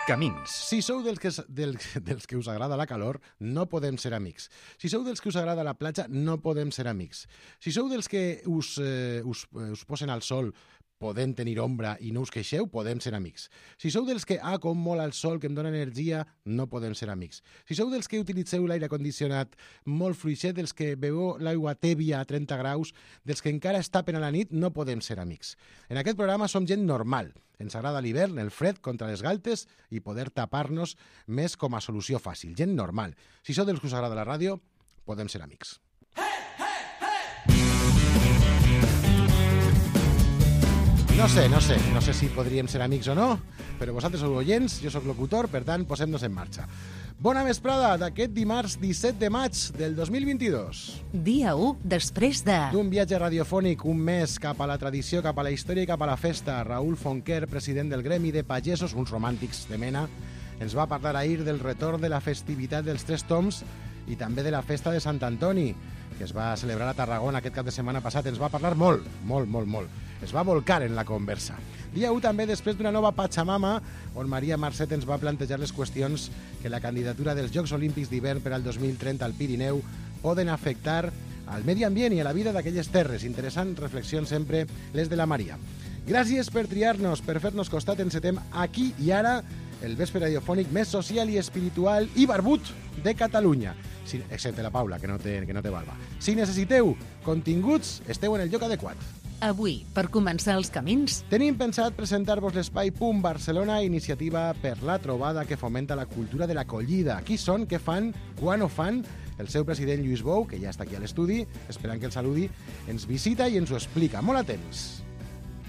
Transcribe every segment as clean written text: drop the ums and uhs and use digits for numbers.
Camins. Si sou dels que us agrada la calor, no podem ser amics. Si sou dels que us agrada la platja, no podem ser amics. Si sou dels que us posen al sol podem tenir ombra i no us queixeu, podem ser amics. Si sou dels que, com molt al sol, que em dona energia, no podem ser amics. Si sou dels que utilitzeu l'aire condicionat molt fluixet, dels que beveu l'aigua tèbia a 30 graus, dels que encara es tapen a la nit, no podem ser amics. En aquest programa som gent normal. Ens agrada l'hivern, el fred, contra les galtes i poder tapar-nos més com a solució fàcil. Gent normal. Si sou dels que us agrada la ràdio, podem ser amics. No sé si podríem ser amics o no, però vosaltres sou oients, jo sóc locutor, per tant, posem-nos en marxa. Bona vesprada d'aquest dimarts 17 de maig del 2022. Dia 1 després de... D'un viatge radiofònic, un mes cap a la tradició, cap a la història i cap a la festa. Raül Fonquer, president del Gremi de Pagesos, uns romàntics de mena, ens va parlar ahir del retorn de la festivitat dels Tres Tombs i també de la festa de Sant Antoni, que es va celebrar a Tarragona aquest cap de setmana passat. Ens va parlar molt. Es va volcar en la conversa. Dia 1 també després d'una nova Pachamama, on Maria Marcet ens va plantejar les qüestions que la candidatura dels Jocs Olímpics d'hivern per al 2030 al Pirineu poden afectar al medi ambient i a la vida d'aquelles terres. Interessant reflexions sempre les de la Maria. Gràcies per triar-nos, per fer-nos costat. Encetem aquí i ara el vespre radiofònic més social i espiritual i barbut de Catalunya. Excepte la Paula, que no té barba. Si necessiteu continguts, esteu en el lloc adequat. Avui, per començar els camins, tenim pensat presentar-vos l'espai Punt Barcelona, iniciativa per la trobada que fomenta la cultura de l'acollida. Qui són, què fan, quan ho fan? El seu president Lluís Bou, que ja està aquí a l'estudi, esperant que el saludi, ens visita i ens ho explica. Molt atents.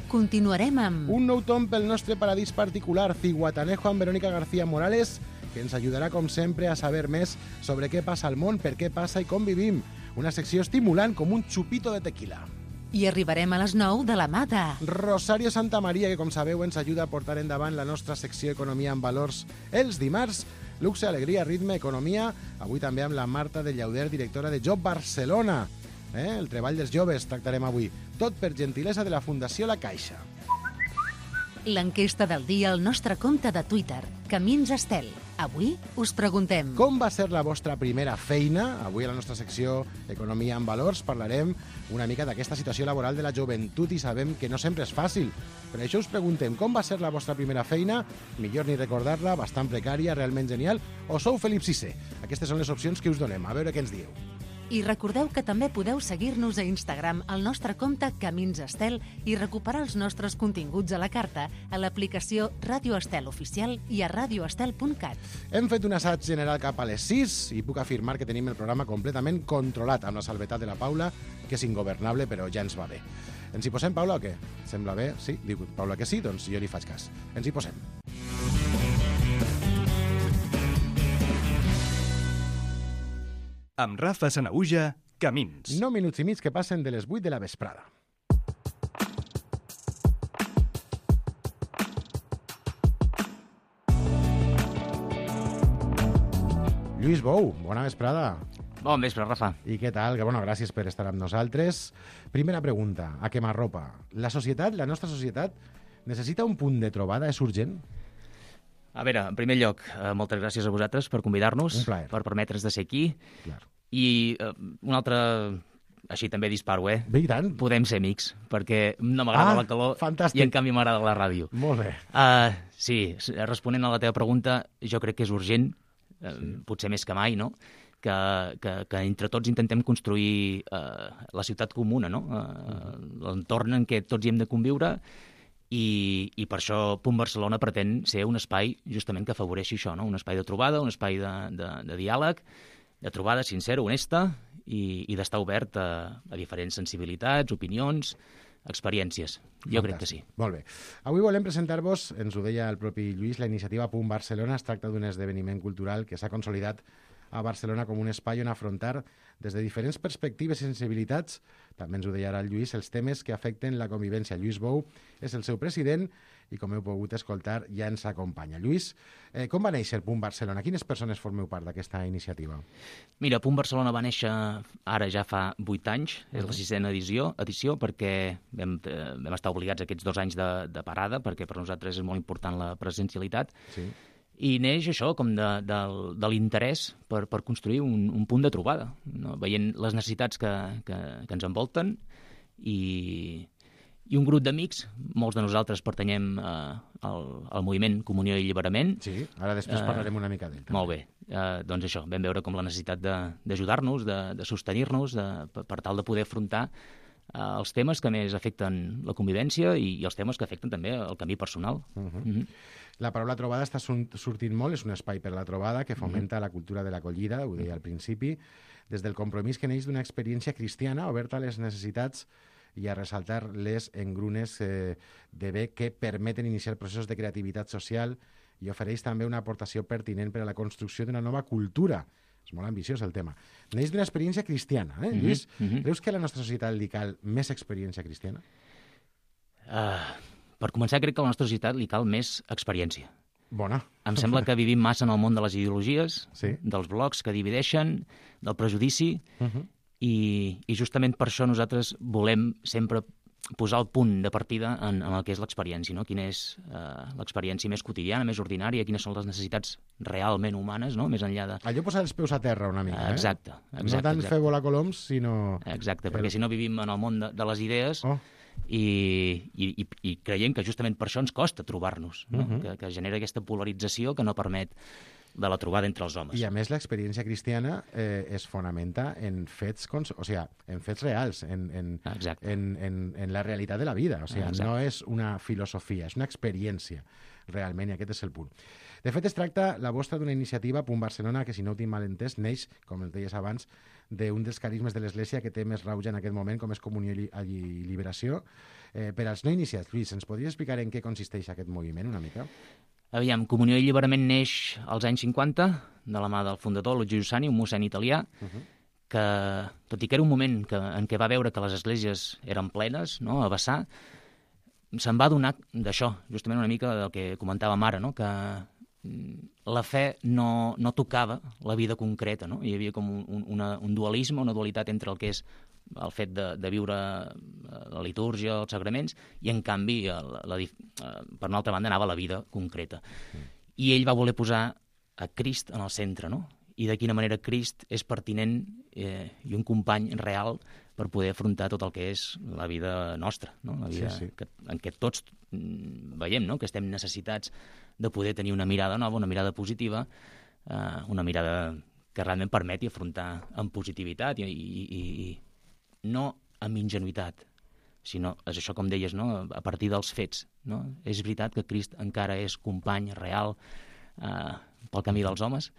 Continuarem amb... Un nou tom pel nostre paradís particular, Ciguatanejo amb Verónica García Morales, que ens ajudarà, com sempre, a saber més sobre què passa al món, per què passa i com vivim. Una secció estimulant com un xupito de tequila. I arribarem a les 9 de la mà de... Rosario Santamaría, que, com sabeu, ens ajuda a portar endavant la nostra secció Economia amb Valors els dimarts. Luxe, alegria, ritme, economia. Avui també amb la Marta de Llauder, directora de Job Barcelona. El treball dels joves tractarem avui. Tot per gentilesa de la Fundació La Caixa. L'enquesta del dia al nostre compte de Twitter, Camins Estel. Avui us preguntem... Com va ser la vostra primera feina? Avui a la nostra secció Economia amb Valors parlarem una mica d'aquesta situació laboral de la joventut i sabem que no sempre és fàcil. Per això us preguntem, com va ser la vostra primera feina? Millor ni recordar-la, bastant precària, realment genial, o sou Felip VI? Aquestes són les opcions que us donem. A veure què ens dieu. I recordeu que també podeu seguir-nos a Instagram al nostre compte Camins Estel i recuperar els nostres continguts a la carta a l'aplicació Ràdio Estel Oficial i a radioestel.cat. Hem fet un assaig general cap a les 6 i puc afirmar que tenim el programa completament controlat, amb la salvetat de la Paula, que és ingovernable, però ja ens va bé. Ens hi posem, Paula, o què? Sembla bé? Sí? Diu Paula que sí? Doncs jo li faig cas. Ens hi posem. Amb Rafa Sanaüja, Camins. 9 minuts i mig que passen de les 8 de la vesprada. Lluís Bou, bona vesprada. Bon vespre, Rafa. I què tal? Gràcies per estar amb nosaltres. Primera pregunta, a quemarropa. La nostra societat, necessita un punt de trobada? És urgent? A veure, en primer lloc, moltes gràcies a vosaltres per convidar-nos, per permetre's de ser aquí. Clar. I un altre, així també disparo, Bé, i tant. Podem ser amics, perquè no m'agrada la calor fantàstic. I en canvi m'agrada la ràdio. Molt bé. Sí, responent a la teva pregunta, jo crec que és urgent, potser més que mai, no?, que entre tots intentem construir la ciutat comuna, no?, l'entorn en què tots hi hem de conviure. I per això Punt Barcelona pretén ser un espai justament que afavoreixi això, no? Un espai de trobada, un espai de diàleg, de trobada sincera, honesta i d'estar obert a diferents sensibilitats, opinions, experiències. Jo crec que sí. Molt bé. Avui volem presentar-vos, ens ho deia el propi Lluís, la iniciativa Punt Barcelona. Es tracta d'un esdeveniment cultural que s'ha consolidat a Barcelona com un espai on afrontar des de diferents perspectives i sensibilitats, també ens ho deia ara el Lluís, els temes que afecten la convivència. Lluís Bou és el seu president i, com heu pogut escoltar, ja ens acompanya. Lluís, com va néixer Punt Barcelona? Quines persones formeu part d'aquesta iniciativa? Mira, Punt Barcelona va néixer ara ja fa 8 anys, és la 6a edició, perquè vam estar obligats aquests 2 anys de parada, perquè per nosaltres és molt important la presencialitat. Sí. I neix això, com de l'interès per construir un punt de trobada, no? Veient les necessitats que ens envolten i un grup d'amics, molts de nosaltres pertanyem al moviment Comunió i Alliberament. Sí, ara després parlarem una mica d'ell. Molt bé. Doncs això, vam veure com la necessitat d'ajudar-nos, de sostenir-nos, per tal de poder afrontar els temes que més afecten la convivència i els temes que afecten també el camí personal. La paraula trobada està sortint molt, és un espai per a la trobada que fomenta la cultura de l'acollida, ho deia al principi, des del compromís que neix d'una experiència cristiana oberta a les necessitats i a ressaltar les engrunes de bé que permeten iniciar processos de creativitat social i ofereix també una aportació pertinent per a la construcció d'una nova cultura. És molt ambiciós el tema. Neix d'una experiència cristiana, Lluís? Creus que a la nostra societat li cal més experiència cristiana? Per començar, crec que a la nostra societat li cal més experiència. Bona. Em sembla que vivim massa en el món de les ideologies, sí, dels blocs que divideixen, del prejudici, i justament per això nosaltres volem sempre posar el punt de partida en el que és l'experiència, no? Quina és l'experiència més quotidiana, més ordinària, quines són les necessitats realment humanes, no? Més enllà de... Allò posar els peus a terra una mica, Exacte. No tant fer volar coloms, sinó... Exacte, perquè si no vivim en el món de les idees i creiem que justament per això ens costa trobar-nos, no? Que genera aquesta polarització que no permet de la trobada entre els homes. I a més l'experiència cristiana es fonamenta en fets, en fets reals, en la realitat de la vida. O sigui, no és una filosofia, és una experiència realment, i aquest és el punt. De fet, es tracta la vostra d'una iniciativa Punt Barcelona que, si no ho tinc mal entès, neix, com el deies abans, d'un dels carismes de l'Església que té més rauge en aquest moment, com és Comunió i Liberació. Per als no iniciats, Lluís, ens podries explicar en què consisteix aquest moviment una mica? Aviam, Comunió i Alliberament neix als anys 50, de la mà del fundador, Luigi Giussani, un mossèn italià, que, tot i que era un moment en què va veure que les esglésies eren plenes, no?, a vessar, se'n va adonar d'això, justament una mica del que comentàvem ara, no?, que la fe no tocava la vida concreta, no? Hi havia com un dualisme, una dualitat entre el que és el fet de viure la litúrgia, els sagraments, i en canvi, per una altra banda, anava la vida concreta. I ell va voler posar a Crist en el centre, no? I de quina manera Crist és pertinent i un company real per poder afrontar tot el que és la vida nostra, no? La vida en què tots veiem, no?, que estem necessitats de poder tenir una mirada nova, una mirada positiva, una mirada que realment permeti afrontar amb positivitat i no amb ingenuïtat, sinó, és això com deies, no?, a partir dels fets, no? És veritat que Crist encara és company real pel camí dels homes,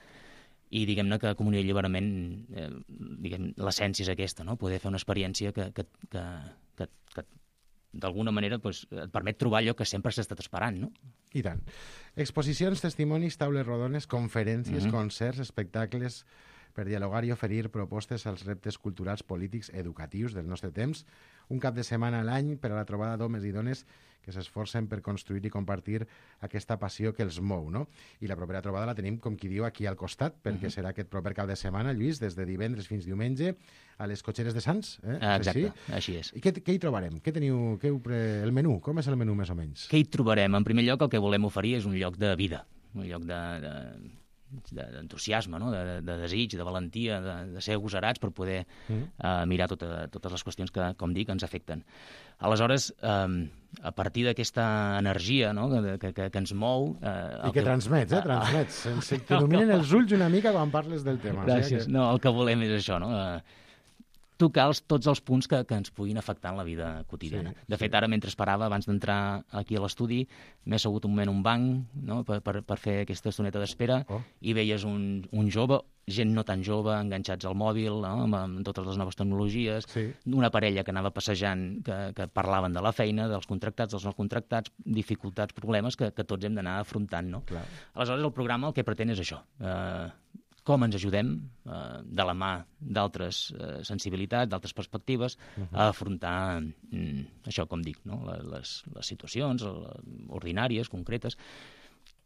i diguem-ne que Comunió i Alliberament, l'essència és aquesta, no?, poder fer una experiència que d'alguna manera et permet trobar allò que sempre s'ha estat esperant, no? I tant. Exposicions, testimonis, taules rodones, conferències, concerts, espectacles, per dialogar i oferir propostes als reptes culturals, polítics, educatius del nostre temps. Un cap de setmana a l'any per a la trobada d'homes i dones que s'esforcen per construir i compartir aquesta passió que els mou, no? I la propera trobada la tenim, com qui diu, aquí al costat, perquè serà aquest proper cap de setmana, Lluís, des de divendres fins diumenge, a les Cotxeres de Sants. Exacte, així és. I què hi trobarem? Què teniu? El menú? Com és el menú, més o menys? Què hi trobarem? En primer lloc, el que volem oferir és un lloc de vida, un lloc d'entusiasme, no?, de desig, de valentia, de ser agosarats per poder mirar totes les qüestions que, com dic, ens afecten. Aleshores, a partir d'aquesta energia, no?, que ens mou... I que transmets, transmets. Se'ns il·luminen els ulls una mica quan parles del tema. Gràcies. No, el que volem és això, no?, tocar tots els punts que ens puguin afectar en la vida quotidiana. De fet, ara, mentre esperava, abans d'entrar aquí a l'estudi, m'he assegut un moment a un banc, no?, per fer aquesta estoneta d'espera, i veies un jove, gent no tan jove, enganxats al mòbil, no?, amb totes les noves tecnologies, una parella que anava passejant, que parlaven de la feina, dels contractats, dels no contractats, dificultats, problemes que tots hem d'anar afrontant, no? Aleshores, el programa el que pretén és això, com ens ajudem, de la mà d'altres sensibilitats, d'altres perspectives, a afrontar això, com dic, no?, les situacions ordinàries, concretes.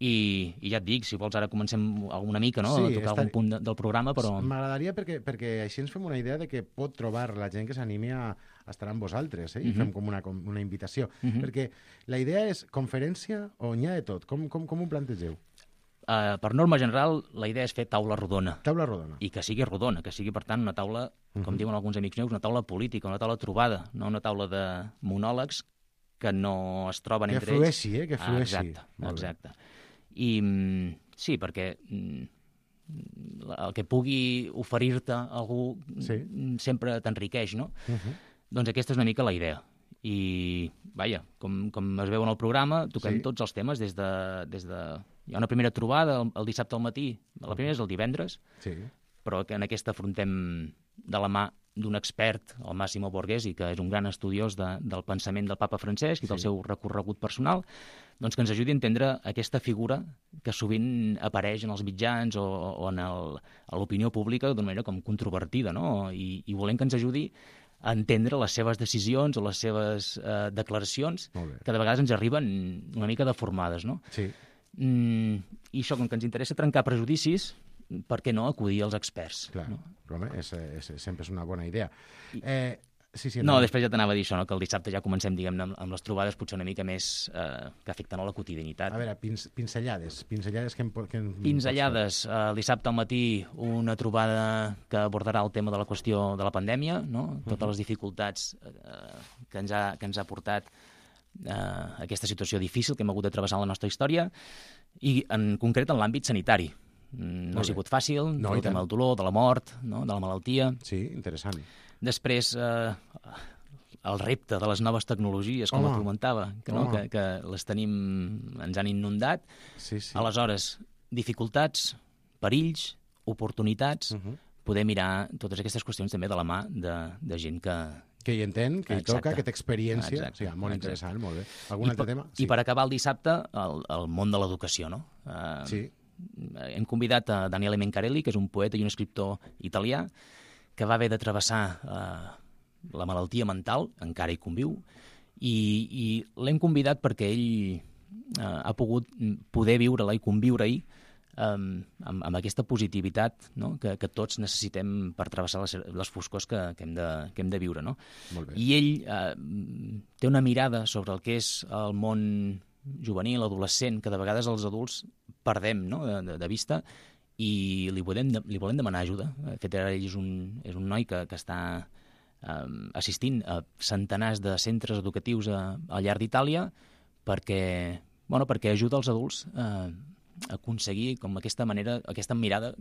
I ja et dic, si vols ara comencem una mica, no?, a tocar algun punt del programa, però... M'agradaria perquè així ens fem una idea de que pot trobar la gent que s'animi a estar amb vosaltres, i fem com una invitació. Perquè la idea és conferència o n'hi ha de tot? Com ho plantegeu? Per norma general, la idea és fer taula rodona. Taula rodona. I que sigui rodona, que sigui, per tant, una taula, com diuen alguns amics meus, una taula política, una taula trobada, no una taula de monòlegs que no es troben entre ells. Que flueixi. Exacte. I sí, perquè el que pugui oferir-te algú sempre t'enriqueix, no? Doncs aquesta és una mica la idea. I, vaja, com es veu en el programa, toquem tots els temes des de... Hi ha una primera trobada el dissabte al matí, la primera és el divendres, però que en aquesta afrontem de la mà d'un expert, el Massimo Borghesi, que és un gran estudiós del pensament del papa Francesc i del seu recorregut personal, doncs que ens ajudi a entendre aquesta figura que sovint apareix en els mitjans o a l'opinió pública d'una manera com controvertida, no? I volem que ens ajudi a entendre les seves decisions o les seves declaracions, que de vegades ens arriben una mica deformades, no? Sí. I això, com que ens interessa trencar prejudicis, per què no acudir als experts? Clar, no? Home, sempre és una bona idea. No, després ja t'anava a dir això, no? Que el dissabte ja comencem, diguem-ne, amb les trobades potser una mica més que afecten a la quotidianitat. A veure, pinzellades que Pinzellades. El dissabte al matí una trobada que abordarà el tema de la qüestió de la pandèmia, no? Totes les dificultats que ens ha portat aquesta situació difícil que hem hagut de travessar en la nostra història i en concret en l'àmbit sanitari. No ha sigut fàcil, el tema del dolor, de la mort, no? De la malaltia. Sí, interessant. Després, el repte de les noves tecnologies, com et comentava, que les tenim, ens han inundat. Sí. Aleshores, dificultats, perills, oportunitats, poder mirar totes aquestes qüestions també de la mà de gent que hi entén, que hi toca, que té experiència. Exacte. Molt interessant, molt bé. Algun altre tema? I per acabar el dissabte, el món de l'educació, no? Sí. Hem convidat a Daniele Mencarelli, que és un poeta i un escriptor italià, que va haver de travessar la malaltia mental, encara hi conviu, i l'hem convidat perquè ell ha pogut poder viure-la i conviure-hi amb aquesta positivitat, no? que tots necessitem per travessar les foscors que hem de viure. No? Molt bé. I ell té una mirada sobre el que és el món juvenil, adolescent, que de vegades els adults perdem, no? de vista, i li volem demanar ajuda. De fet, ara ell és un noi que està assistint a centenars de centres educatius al llarg d'Itàlia perquè ajuda els adults a aconseguir com aquesta mirada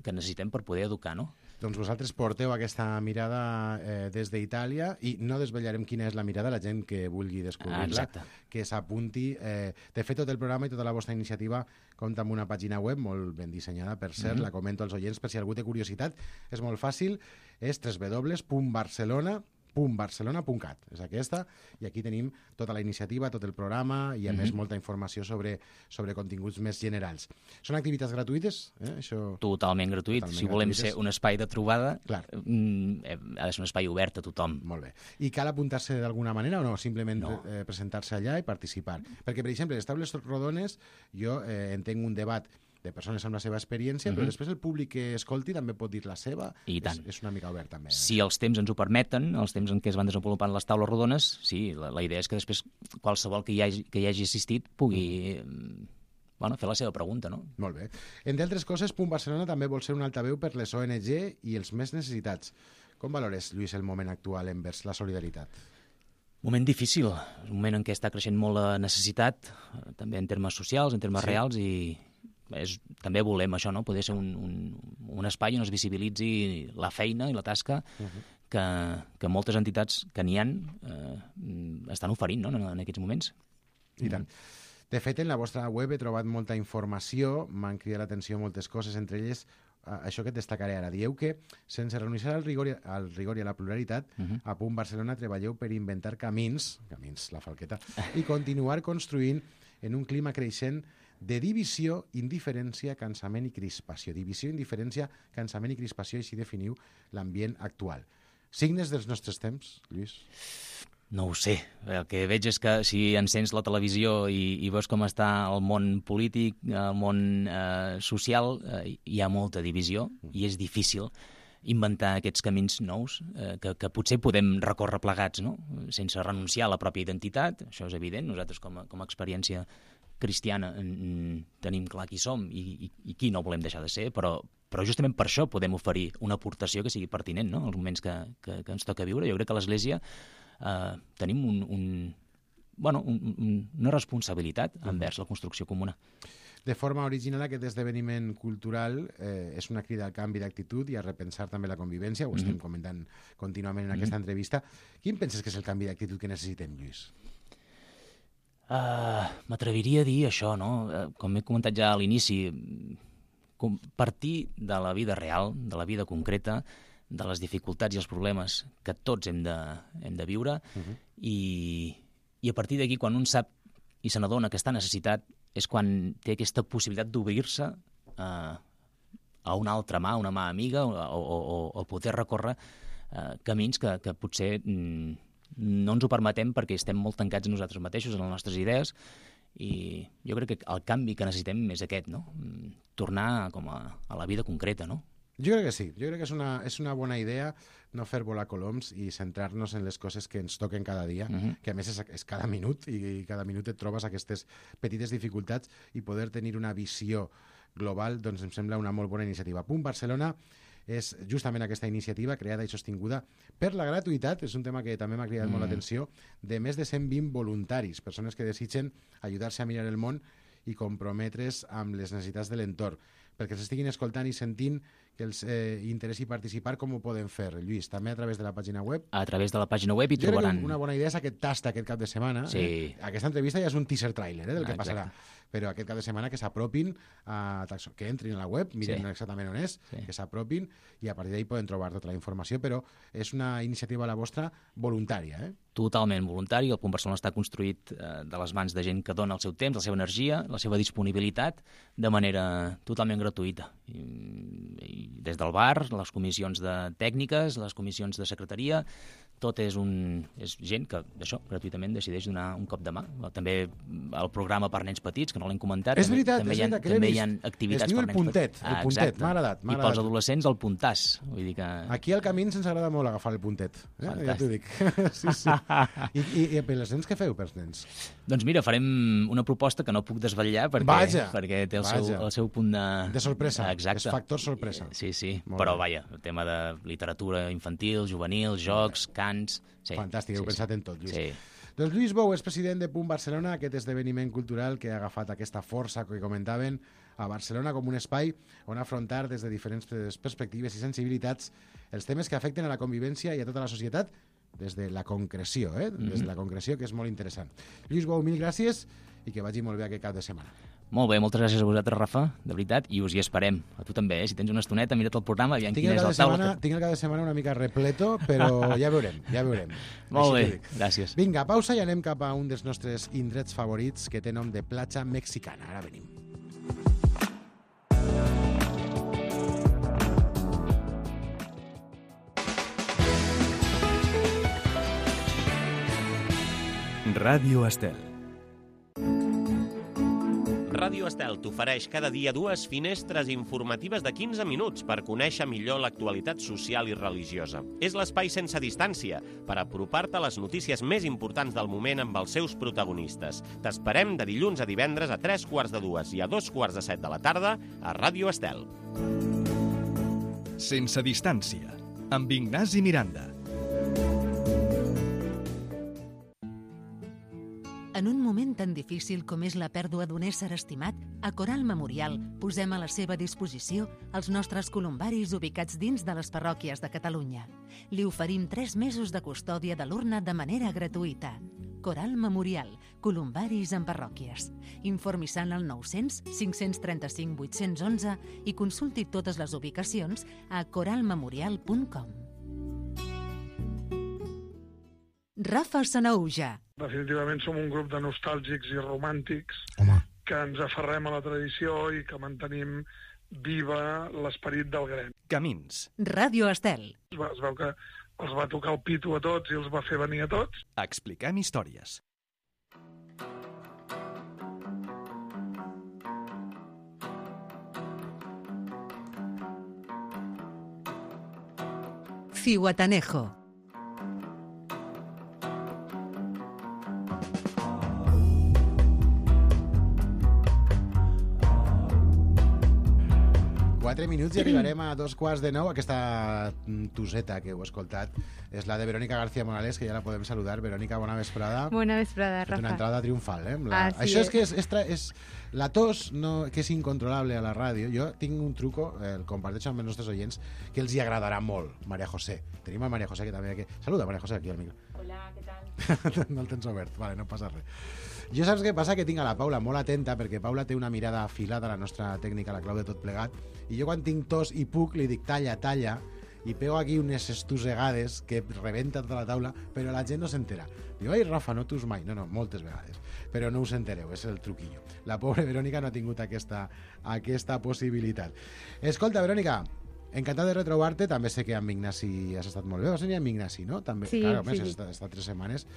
que necessitem per poder educar, no? Doncs vosaltres porteu aquesta mirada des d'Itàlia i no desvetllarem quina és la mirada, la gent que vulgui descobrir-la, que s'apunti. De fet, tot el programa i tota la vostra iniciativa compta amb una pàgina web molt ben dissenyada, per cert, la comento als oients per si algú té curiositat. És molt fàcil, és www.barcelona.cat. És aquesta, i aquí tenim tota la iniciativa, tot el programa i a més molta informació sobre continguts més generals. Són activitats gratuïtes? Això... Totalment gratuït. Si volem ser un espai de trobada, ha de ser un espai obert a tothom. Molt bé. I cal apuntar-se d'alguna manera o no? Simplement presentar-se allà i participar. Perquè, per exemple, les taules rodones, jo entenc un debat de persones amb la seva experiència, però després el públic que escolti també pot dir la seva. I tant. És una mica obert, també. Si els temps ens ho permeten, els temps en què es van desenvolupant les taules rodones, sí, la idea és que després qualsevol que hi hagi assistit pugui fer la seva pregunta, no? Molt bé. Entre altres coses, Punt Barcelona també vol ser un altaveu per les ONG i els més necessitats. Com valores, Lluís, el moment actual envers la solidaritat? Moment difícil, un moment en què està creixent molt la necessitat, també en termes socials, en termes reals, i també volem això, no? Poder ser un espai on es visibilitzi la feina i la tasca que moltes entitats que n'hi ha estan oferint, no? En aquests moments. I tant. De fet, en la vostra web he trobat molta informació, m'han cridat l'atenció moltes coses, entre elles això que et destacaré ara. Dieu que, sense renunciar al rigor i a la pluralitat, a Punt Barcelona treballeu per inventar camins, la falqueta, i continuar construint en un clima creixent de divisió, indiferència, cansament i crispació. Divisió, indiferència, cansament i crispació, així definiu l'ambient actual. Signes dels nostres temps, Lluís? No ho sé. El que veig és que si encens la televisió i veus com està el món polític, el món social, hi ha molta divisió i és difícil inventar aquests camins nous que potser podem recórrer plegats, no? Sense renunciar a la pròpia identitat, això és evident. Nosaltres com a experiència cristiana tenim clar qui som i qui no volem deixar de ser, però justament per això podem oferir una aportació que sigui pertinent, no?, als moments que ens toca viure. Jo crec que a l'Església tenim una responsabilitat envers la construcció comuna. De forma original, aquest esdeveniment cultural és una crida al canvi d'actitud i a repensar també la convivència, ho estem comentant contínuament en aquesta entrevista. Quin penses que és el canvi d'actitud que necessitem, Lluís? M'atreviria a dir això, no? Com he comentat ja a l'inici, partir de la vida real, de la vida concreta, de les dificultats i els problemes que tots hem de viure, i a partir d'aquí, quan un sap i se n'adona que està necessitat, és quan té aquesta possibilitat d'obrir-se a una altra mà, una mà amiga, o poder recórrer camins que potser no ens ho permetem perquè estem molt tancats en nosaltres mateixos, en les nostres idees, i jo crec que el canvi que necessitem és aquest, no? Tornar com a la vida concreta, no? Jo crec que sí, jo crec que és una bona idea no fer volar coloms i centrar-nos en les coses que ens toquen cada dia, que a més és cada minut, i cada minut et trobes aquestes petites dificultats, i poder tenir una visió global, doncs em sembla una molt bona iniciativa. Punt Barcelona és justament aquesta iniciativa creada i sostinguda per la gratuïtat, és un tema que també m'ha cridat molt l'atenció, de més de 120 voluntaris, persones que desitgen ajudar-se a mirar el món i comprometre's amb les necessitats de l'entorn. Perquè s'estiguin escoltant i sentint que els interessi participar, com ho poden fer, Lluís? També a través de la pàgina web? A través de la pàgina web hi trobaran... Jo crec que una bona idea és aquest tast aquest cap de setmana. Sí. Aquesta entrevista ja és un teaser trailer del que passarà. Però aquest cap de setmana que s'apropin, que entrin a la web, miren exactament on és, que s'apropin, i a partir d'ahí poden trobar tota la informació, però és una iniciativa la vostra voluntària, Totalment voluntari. El Punt Barcelona està construït de les mans de gent que dona el seu temps, la seva energia, la seva disponibilitat, de manera totalment gratuïta. I des del bar, les comissions de tècniques, les comissions de secretaria, tot és gent que, això, gratuïtament decideix donar un cop de mà. També el programa per nens petits, que no l'hem comentat. És veritat, també hi ha activitats per nens petits. El puntet, m'ha agradat. I pels adolescents el puntàs. Vull dir que... Aquí al Camins ens agrada molt agafar el puntet. Ja t'ho dic. Sí. I per els nens, què feu pels nens? Doncs mira, farem una proposta que no puc desvetllar perquè té el seu punt de sorpresa. Exacte. És factor sorpresa. Sí. Però vaja, el tema de literatura infantil, juvenil, jocs, cants... Fantàstic, heu pensat en tot, Lluís. Sí. Doncs Lluís Bou és president de Punt Barcelona, aquest esdeveniment cultural que ha agafat aquesta força que comentaven a Barcelona com un espai on afrontar des de diferents perspectives i sensibilitats els temes que afecten a la convivència i a tota la societat des de la concreció, des de la concreció, que és molt interessant. Lluís Bou, mil gràcies i que vagi molt bé aquest cap de setmana. Molt bé, moltes gràcies a vosaltres, Rafa, de veritat, i us hi esperem. A tu també, si tens una estoneta, mira't el programa, aviam quin és el taula. Tinc el cap de setmana una mica repleto, però ja veurem. Molt bé, gràcies. Vinga, pausa i anem cap a un dels nostres indrets favorits, que té nom de platja mexicana. Ara venim. Ràdio Estel. Ràdio Estel t'ofereix cada dia 2 finestres informatives de 15 minuts per conèixer millor l'actualitat social i religiosa. És l'espai sense distància per apropar-te a les notícies més importants del moment amb els seus protagonistes. T'esperem de dilluns a divendres a 3:45 i a 2:45 de la tarda a Ràdio Estel. Sense distància, amb Ignasi Miranda. En un moment tan difícil com és la pèrdua d'un ésser estimat, a Coral Memorial posem a la seva disposició els nostres columbaris ubicats dins de les parròquies de Catalunya. Li oferim 3 mesos de custòdia de l'urna de manera gratuïta. Coral Memorial, columbaris en parròquies. Informi-se al 900 535 811 i consulti totes les ubicacions a coralmemorial.com. Rafa Sanahuja. Definitivament som un grup de nostàlgics i romàntics que ens aferrem a la tradició i que mantenim viva l'esperit del gremi. Camins. Ràdio Estel. Es veu que els va tocar el pito a tots i els va fer venir a tots. Expliquem històries. Zihuatanejo. 4 minuts i arribarem a 8:45. Aquesta tuseta que heu escoltat és la de Verónica García Morales, que ja la podem saludar. Verónica, bona vesprada. Bona vesprada, Rafa. Una entrada triomfal, eh? Así Això és que és la tos, no, que és incontrolable a la ràdio. Jo tinc un truco, el comparteixo amb els nostres oients, que els hi agradarà molt. Maria José. Tenim a Maria José, que també aquí. Saluda, Maria José, aquí al micro. Hola, què tal? No el tens obert, vale, no passa res. Jo saps què passa? Que tinc a la Paula molt atenta, perquè Paula té una mirada afilada, la nostra tècnica, la clau de tot plegat, i jo quan tinc tos i puc li dic talla, talla, i pego aquí unes estussegades que rebenta tota la taula, però la gent no s'entera. Diu, ai, Rafa, no tus mai. No, moltes vegades. Però no us entereu, és el truquillo. La pobra Verònica no ha tingut aquesta possibilitat. Escolta, Verònica, encantat de retrobar-te. També sé que amb Ignasi has estat molt bé. Vas venir amb Ignasi, no? També, sí, claro, sí. Has estat 3 setmanes.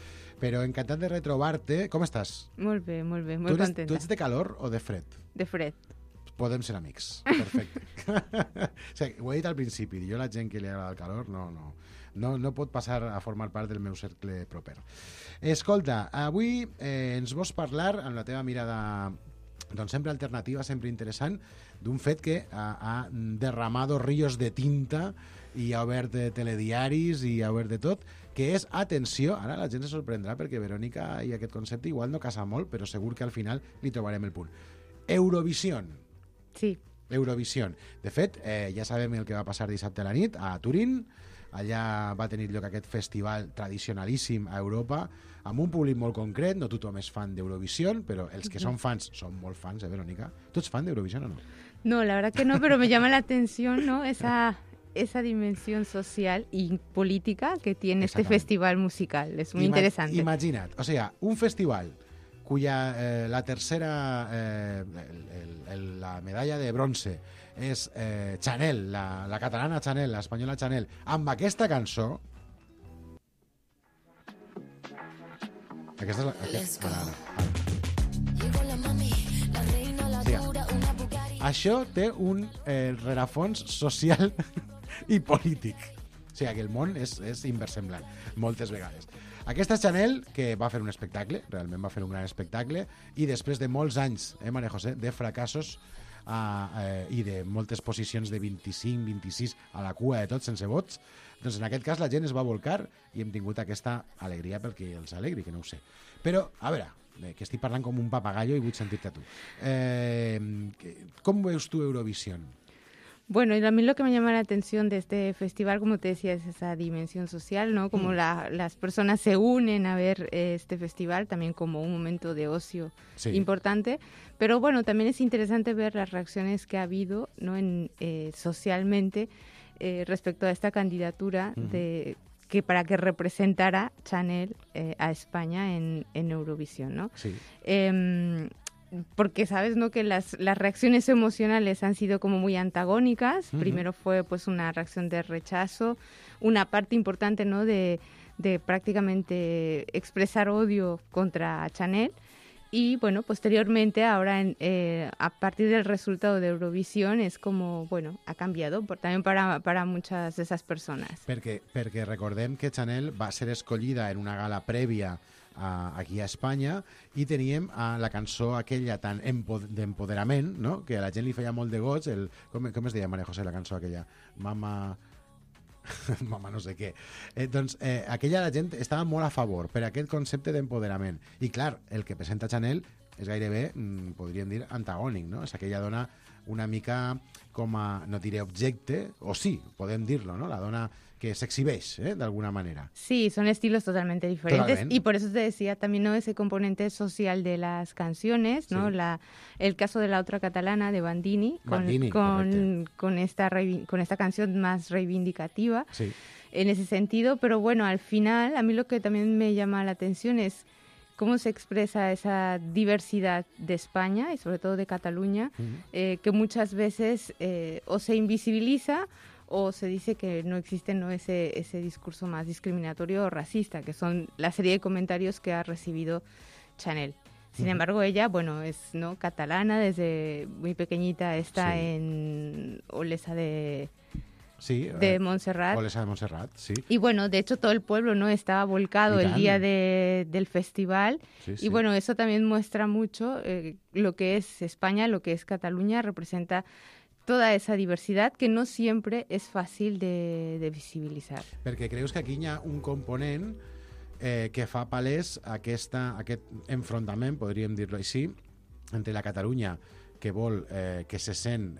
Però encantat de retrobar-te. Com estàs? Molt bé, molt contenta. Tu ets de calor o de fred? De fred. Podem ser amics. Perfecte. O sigui, ho he dit al principi. Jo la gent que li agrada el calor no pot passar a formar part del meu cercle proper. Escolta, avui ens vols parlar, amb la teva mirada doncs sempre alternativa, sempre interessant, d'un fet que ha derramado ríos de tinta i ha obert telediaris i ha obert de tot, que és, atenció, ara la gent se sorprendrà perquè Verònica i aquest concepte igual no casa molt, però segur que al final li trobarem el punt. Eurovision. Sí. Eurovision. De fet, ja sabem el que va passar dissabte a la nit a Turín. Allà va tenir lloc aquest festival tradicionalíssim a Europa, amb un públic molt concret. No tothom és fan d'Eurovision, però els que són fans són molt fans, Verònica? Tu ets fan d'Eurovision o no? No, la verdad que no, pero me llama la atención, ¿no? Esa dimensión social y política que tiene este festival musical. Es muy interesante. Imagina't, o sea, un festival cuya la tercera, la medalla de bronce és Chanel, la catalana Chanel, l'espanyola Chanel, amb aquesta cançó. Aquesta és això té un rerefons social i polític. O sigui, que el món és inversemblant, moltes vegades. Aquesta Chanel, que va fer un espectacle, realment va fer un gran espectacle, i després de molts anys, Maria José, de fracassos i de moltes posicions de 25, 26 a la cua de tot, sense vots, doncs en aquest cas la gent es va volcar i hem tingut aquesta alegria perquè els alegri, que no ho sé. Però, a veure, que estic parlant com un papagallo i vull sentir-te a tu. Com veus tu Eurovision? Bueno, y a mí lo que me llama la atención de este festival, como te decía, es esa dimensión social, ¿no? Como las personas se unen a ver este festival, también como un momento de ocio importante. Pero bueno, también es interesante ver las reacciones que ha habido, ¿no? Socialmente respecto a esta candidatura que para que representara Chanel a España en Eurovisión, ¿no? Sí. Porque sabes, ¿no?, que las reacciones emocionales han sido como muy antagónicas. Primero fue pues una reacción de rechazo, una parte importante, ¿no?, de prácticamente expresar odio contra Chanel. Y bueno, posteriormente ahora a partir del resultado de Eurovisión es como, bueno, ha cambiado también para muchas de esas personas. Perquè recordem que Chanel va ser escollida en una gala prèvia aquí a Espanya i teníem la cançó aquella tan d'empoderament, no?, que a la gent li feia molt de goig. Com es deia, Maria José, la cançó aquella? Mama no sé què. Doncs aquella la gent estava molt a favor per aquest concepte d'empoderament. I clar, el que presenta Chanel és gairebé, podríem dir, antagònic, no? És aquella dona una mica com a, no diré objecte, o sí, podem dir-lo, ¿no? La dona que s'exhibeix, de alguna manera. Sí, son estilos totalmente diferentes. Y por eso te decía también, ¿no?, ese componente social de las canciones, ¿no? Sí. El caso de la otra catalana, de Bandini, con esta canción más reivindicativa, sí, en ese sentido. Pero bueno, al final, a mí lo que también me llama la atención es cómo se expresa esa diversidad de España y sobre todo de Cataluña, que muchas veces o se invisibiliza o se dice que no existe, ¿no?, ese discurso más discriminatorio o racista, que son la serie de comentarios que ha recibido Chanel. Sin embargo, ella, bueno, es, ¿no?, catalana, desde muy pequeñita está en Olesa de Montserrat. Olesa de Montserrat, sí. Y bueno, de hecho todo el pueblo, ¿no?, estaba volcado el día del festival. Sí, y bueno, eso también muestra mucho lo que es España, lo que es Cataluña, representa toda esa diversidad que no siempre es fácil de visibilitzar. Perquè creus que aquí hi ha un component que fa palès aquest enfrontament, podríem dir-lo així, entre la Catalunya que vol, que se sent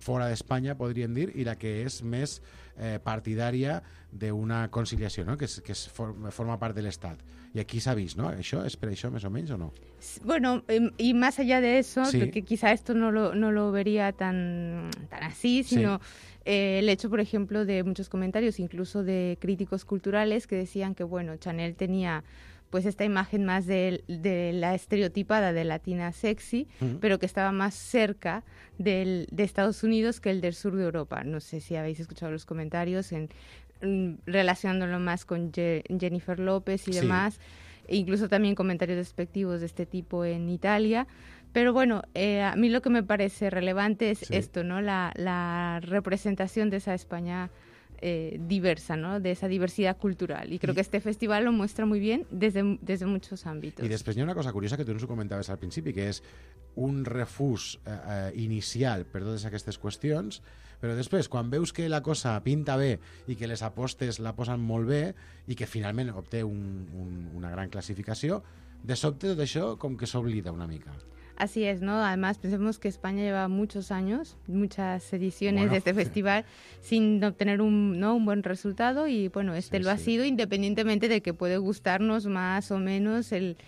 fora d'Espanya, podríem dir, i la que és més partidària d'una conciliació, no? que forma part de l'Estat. Y aquí s'ha vist, ¿no? ¿Això és per això, més o menys, o no? Bueno, y más allá de eso, sí. que quizá esto no lo vería tan así, sino el hecho, por ejemplo, de muchos comentarios, incluso de críticos culturales, que decían que, bueno, Chanel tenía pues esta imagen más de la estereotipada de latina sexy, pero que estaba más cerca de Estados Unidos que el del sur de Europa. No sé si habéis escuchado los comentarios relacionándolo más con Jennifer López y demás, e incluso también comentarios despectivos de este tipo en Italia. Pero bueno, a mí lo que me parece relevante es esto, ¿no? La representación de esa España diversa, ¿no? De esa diversidad cultural. Y creo que este festival lo muestra muy bien desde muchos ámbitos. I després hi ha una cosa curiosa que tu ens ho comentaves al principi, que és un refús inicial per totes aquestes qüestions, però després, quan veus que la cosa pinta bé i que les apostes la posen molt bé i que finalment obté una gran classificació, de sobte tot això com que s'oblida una mica. Así es, ¿no? Además, pensemos que España lleva muchos años, muchas ediciones de este festival sin obtener un buen resultado y, bueno, lo ha sido independientemente de que puede gustarnos más o menos el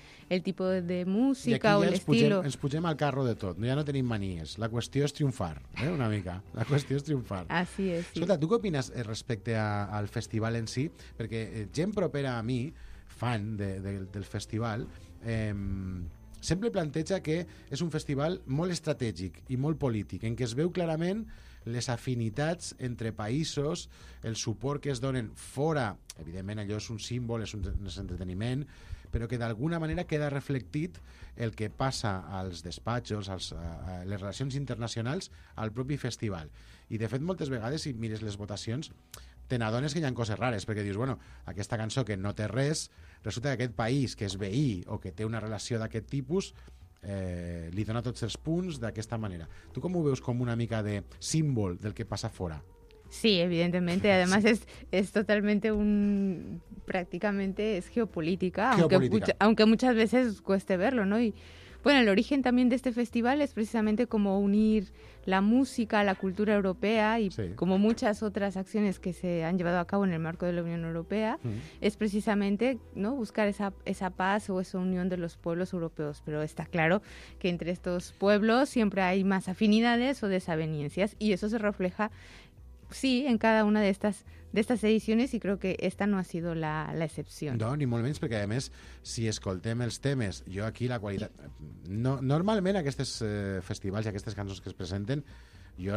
tipo de música o el estilo. Ens pugem al carro de tot, ja no tenim manies. La qüestió és triomfar, una mica. La qüestió és triomfar. Así es, sí. Escolta, tu què opines respecte al festival en si? Perquè gent propera a mi, fan del festival, sempre planteja que és un festival molt estratègic i molt polític, en què es veu clarament les afinitats entre països, el suport que es donen fora, evidentment allò és un símbol, és un entreteniment, però que d'alguna manera queda reflectit el que passa als despatxos, les relacions internacionals al propi festival. I de fet moltes vegades, si mires les votacions, te n'adones que hi ha coses rares, perquè dius, bueno, aquesta cançó que no té res, resulta que aquest país que és veí o que té una relació d'aquest tipus li dona tots els punts d'aquesta manera. Tu com ho veus com una mica de símbol del que passa fora? Sí, evidentemente. Además es totalmente prácticamente es geopolítica. Aunque muchas veces cueste verlo, ¿no? Y bueno, el origen también de este festival es precisamente como unir la música, la cultura europea y como muchas otras acciones que se han llevado a cabo en el marco de la Unión Europea, es precisamente, ¿no?, buscar esa paz o esa unión de los pueblos europeos. Pero está claro que entre estos pueblos siempre hay más afinidades o desavenencias y eso se refleja en cada una de estas ediciones y creo que esta no ha sido la excepción. No, ni molt menys, perquè a més, si escoltem els temes, jo aquí la qualitat... Normalment aquests festivals i aquestes cançons que es presenten,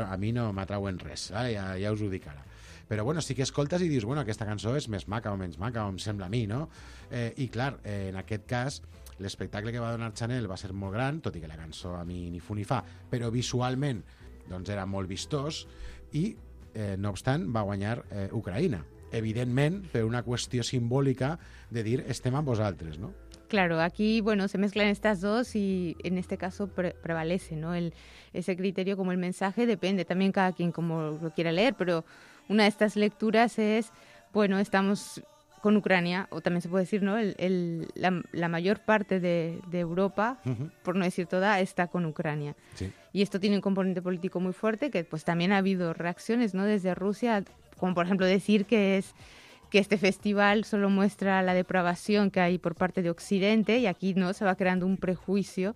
a mi no m'atrauen res, ja us ho dic ara. Però bueno, sí que escoltes i dius, bueno, aquesta cançó és més maca o menys maca, o em sembla a mi, no? I clar, en aquest cas, l'espectacle que va donar Chanel va ser molt gran, tot i que la cançó a mi ni fu ni fa, però visualment doncs era molt vistós i no obstant, va guanyar Ucraïna. Evidentment, per una qüestió simbòlica de dir estem amb vosaltres, ¿no? Claro, aquí, bueno, se mezclan estas dos y en este caso prevalece, ¿no? Ese criterio como el mensaje, depende también cada quien como lo quiera leer, pero una de estas lecturas es, bueno, estamos con Ucrania, o también se puede decir, ¿no? La mayor parte de Europa, por no decir toda, está con Ucrania. Sí. Y esto tiene un componente político muy fuerte, que pues también ha habido reacciones, ¿no?, desde Rusia, como por ejemplo decir que este festival solo muestra la depravación que hay por parte de Occidente, y aquí, ¿no?, se va creando un prejuicio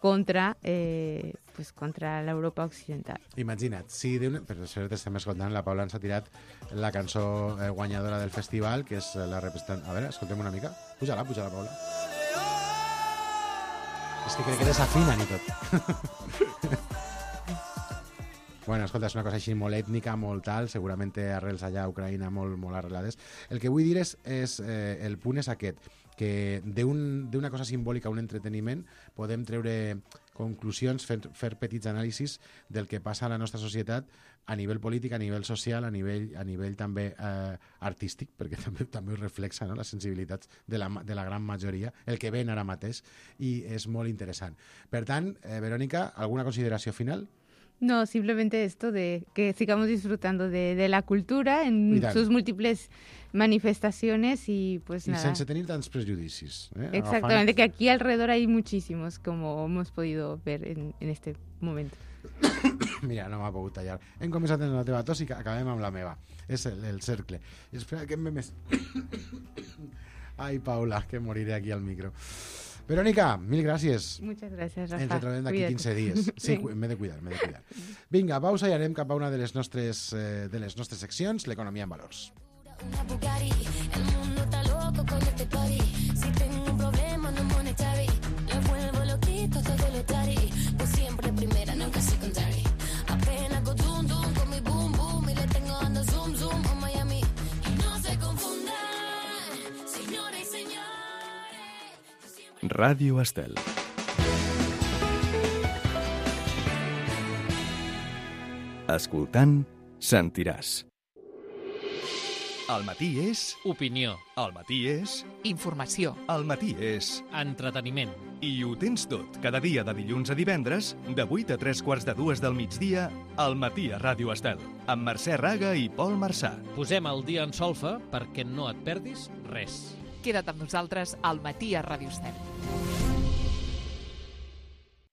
contra la Europa occidental. Imagina't, si per això estem escoltant, la Paula ens ha tirat la cançó guanyadora del festival, que és la representant... A veure, escoltem una mica. Puja-la, Paula. És que crec que desafinen i tot. Bueno, escolta, és una cosa així molt ètnica, molt tal, segurament té arrels allà a Ucraïna molt arrelades. El que vull dir és el punt és aquest, que d'una cosa simbòlica a un entreteniment podem treure conclusions, fer petits anàlisis del que passa a la nostra societat a nivell polític, a nivell social, a nivell també artístic, perquè també ho reflexa, no?, les sensibilitats de la gran majoria, el que ven ara mateix, i és molt interessant. Per tant, Verònica, alguna consideració final? No, simplemente esto de que sigamos disfrutando de la cultura en sus múltiples manifestaciones y pues nada. Y sense tenir tants prejudicis. Exactamente, que aquí alrededor hay muchísimos, como hemos podido ver en este momento. Mira, no m'ha pogut tallar. Hem començat amb la teva tos i acabem amb la meva. És el cercle. Espera, que més... Ai, Paula, que moriré aquí al micro. Verónica, mil gràcies. Muchas gracias, Rafa. Ens retrobem d'aquí 15 dies. Sí, m'he de cuidar. Vinga, pausa i anem cap a una de les nostres seccions, l'economia en valors. Una Bugatti, el mundo está loco con este party. Si tengo un problema no monetary, lo vuelvo loquito todo lo tari. Pues siempre primera, nunca secondary. Apenas go zoom zoom con mi boom boom y le tengo ando zoom zoom a Miami. Y no se confundan, señores y señores. Ràdio Estel. Escoltant, sentiràs. El matí és... Opinió. El matí és... Informació. El matí és... Entreteniment. I ho tens tot, cada dia de dilluns a divendres, de 8 a 3:45 del migdia, al matí a Ràdio Estel, amb Mercè Raga i Pol Marçà. Posem el dia en solfa perquè no et perdis res. Queda't amb nosaltres al matí a Ràdio Estel.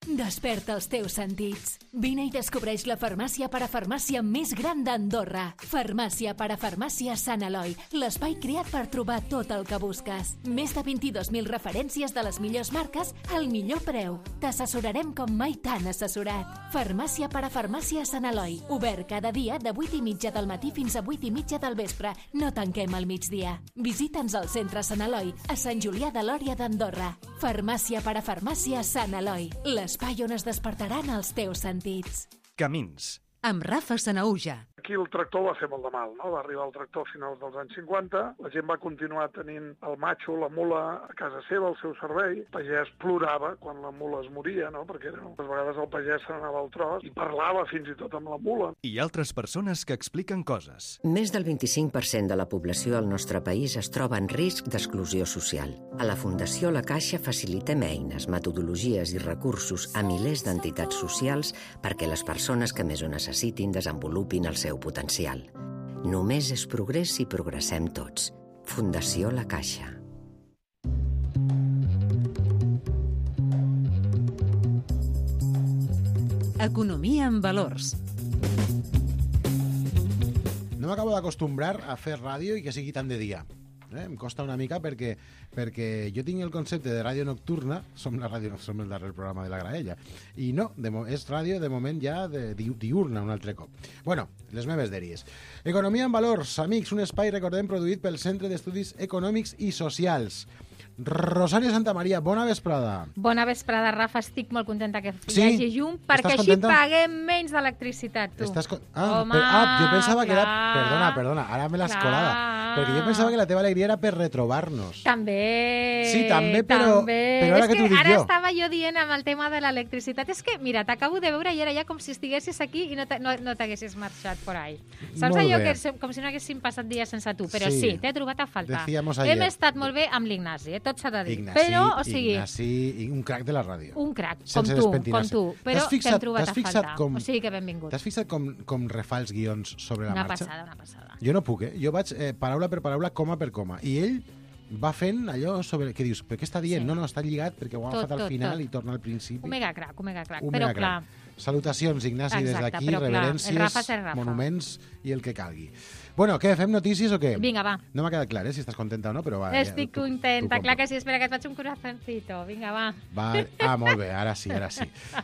Desperta els teus sentits. Vine i descobreix la farmàcia parafarmàcia més gran d'Andorra. Farmàcia parafarmàcia Sant Eloi, l'espai creat per trobar tot el que busques. Més de 22.000 referències de les millors marques al millor preu. T'assessorarem com mai t'han assessorat. Farmàcia parafarmàcia Sant Eloi, obert cada dia de 8:30 del matí fins a 8:30 del vespre. No tanquem al migdia. Visita'ns al centre Sant Eloi, a Sant Julià de Lòria d'Andorra. Farmàcia parafarmàcia Sant Eloi, l'espai on es despertaran els teus sentits. Camins. Amb Rafa Sanaúja. Aquí el tractor va fer molt de mal, no? Va arribar el tractor a finals dels anys 50, la gent va continuar tenint el matxo, la mula, a casa seva, al seu servei. El pagès plorava quan la mula es moria, no? Perquè a vegades el pagès se n'anava al tros i parlava fins i tot amb la mula. I altres persones que expliquen coses. Més del 25% de la població al nostre país es troba en risc d'exclusió social. A la Fundació La Caixa facilitem eines, metodologies i recursos a milers d'entitats socials perquè les persones que més ho necessitin desenvolupin el seu potencial. Només és progrés si progressem tots. Fundació La Caixa. Economia en valors. No m'acabo d'acostumbrar a fer ràdio i que sigui tant de dia. Em costa una mica perquè jo tinc el concepte de ràdio nocturna, som el darrer programa de la Graella, i no, és ràdio de moment ja diurna un altre cop. Bueno, les meves dèries. Economia en valors, amics, un espai, recordem, produït pel Centre d'Estudis Econòmics i Socials. Rosàlia Santamaria, bona vesprada. Bona vesprada, Rafa. Estic molt contenta que hi hagi llum, perquè així paguem menys d'electricitat, tu. Jo pensava que era... Perdona, ara me l'has colada. Perquè jo pensava que la teva alegria era per retrobar-nos. També. Sí, també, però ara que t'ho dic jo. Ara estava jo dient amb el tema de l'electricitat. És que, mira, t'acabo de veure i era ja com si estiguessis aquí i no t'haguessis marxat por ahí. Saps allò que com si no haguéssim passat dies sense tu? Però sí, t'he trobat a faltar. Hem estat molt bé amb l'Ignasi, tot s'ha de dir. Ignasi, un crac de la ràdio. Un crac, com tu, però t'hem trobat a faltar. O sigui que benvingut. T'has fixat com refà els guions sobre la marxa? Una passada. Jo no puc, Jo vaig paraula per paraula, coma per coma. I ell va fent allò sobre... Que dius, però què està dient? Sí. No, està lligat perquè ho ha agafat al final i torna al principi. Omega crac. Però clar... Salutacions, Ignasi, des d'aquí, reverències, monuments i el que calgui. Bueno, què, fem notícies o què? Vinga, va. No m'ha quedat clar, si estàs contenta o no, però va. Estic contenta, clar que sí, espera que et faig un corazoncito. Vinga, va. Molt bé, ara sí.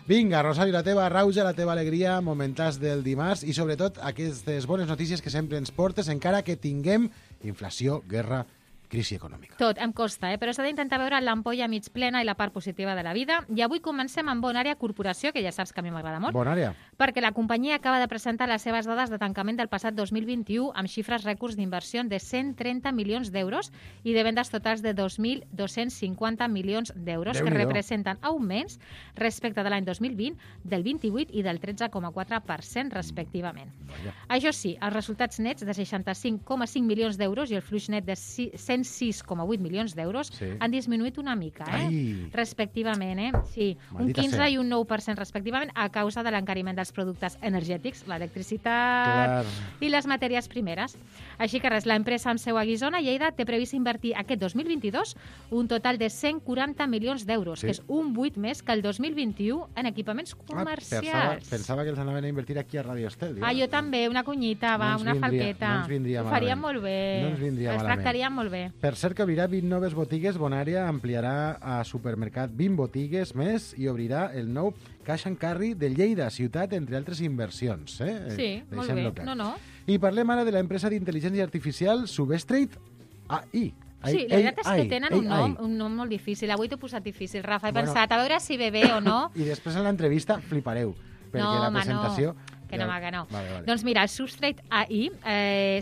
Vinga, Rosali, la teva rauja, la teva alegria, momentàs del dimarts i sobretot aquestes bones notícies que sempre ens portes, encara que tinguem inflació, guerra, crisi econòmica. Tot, em costa, però s'ha d'intentar veure l'ampolla mig plena i la part positiva de la vida. I avui comencem amb Bonària Corporació, que ja saps que a mi m'agrada molt. Bonària. Perquè la companyia acaba de presentar les seves dades de tancament del passat 2021 amb xifres rècords d'inversió de 130 milions d'euros i de vendes totals de 2.250 milions d'euros, que representen augments respecte de l'any 2020 del 28 i del 13,4% respectivament. Això sí, els resultats nets de 65,5 milions d'euros i el flux net de 106,8 milions d'euros han disminuït una mica, respectivament, Sí, un 15 i un 9% respectivament a causa de l'encariment dels dels productes energètics, l'electricitat i les matèries primeres. Així que res, l'empresa amb seu a Guissona, Lleida, té previst invertir aquest 2022 un total de 140 milions d'euros, que és un 8 més que el 2021 en equipaments comercials. Pensava que els anaven a invertir aquí a Radio Estel. Jo també, una cunyita, una falqueta. No ens vindria malament. Ho faríem molt bé. No ens vindria malament. Els tractaríem molt bé. Per cert, que obrirà 20 noves botigues, Bonària ampliarà a supermercat 20 botigues més i obrirà el nou Cash and Carry de Lleida, ciutat, entre altres inversions. Sí, molt bé. No. I parlem ara de l'empresa d'intel·ligència artificial Substrate AI. Sí, la veritat és que tenen un nom molt difícil. Avui t'ho he posat difícil, Rafa. He pensat, a veure si ve bé o no. I després en l'entrevista flipareu, perquè la presentació... Que no. Vale. Doncs mira, el Substrate AI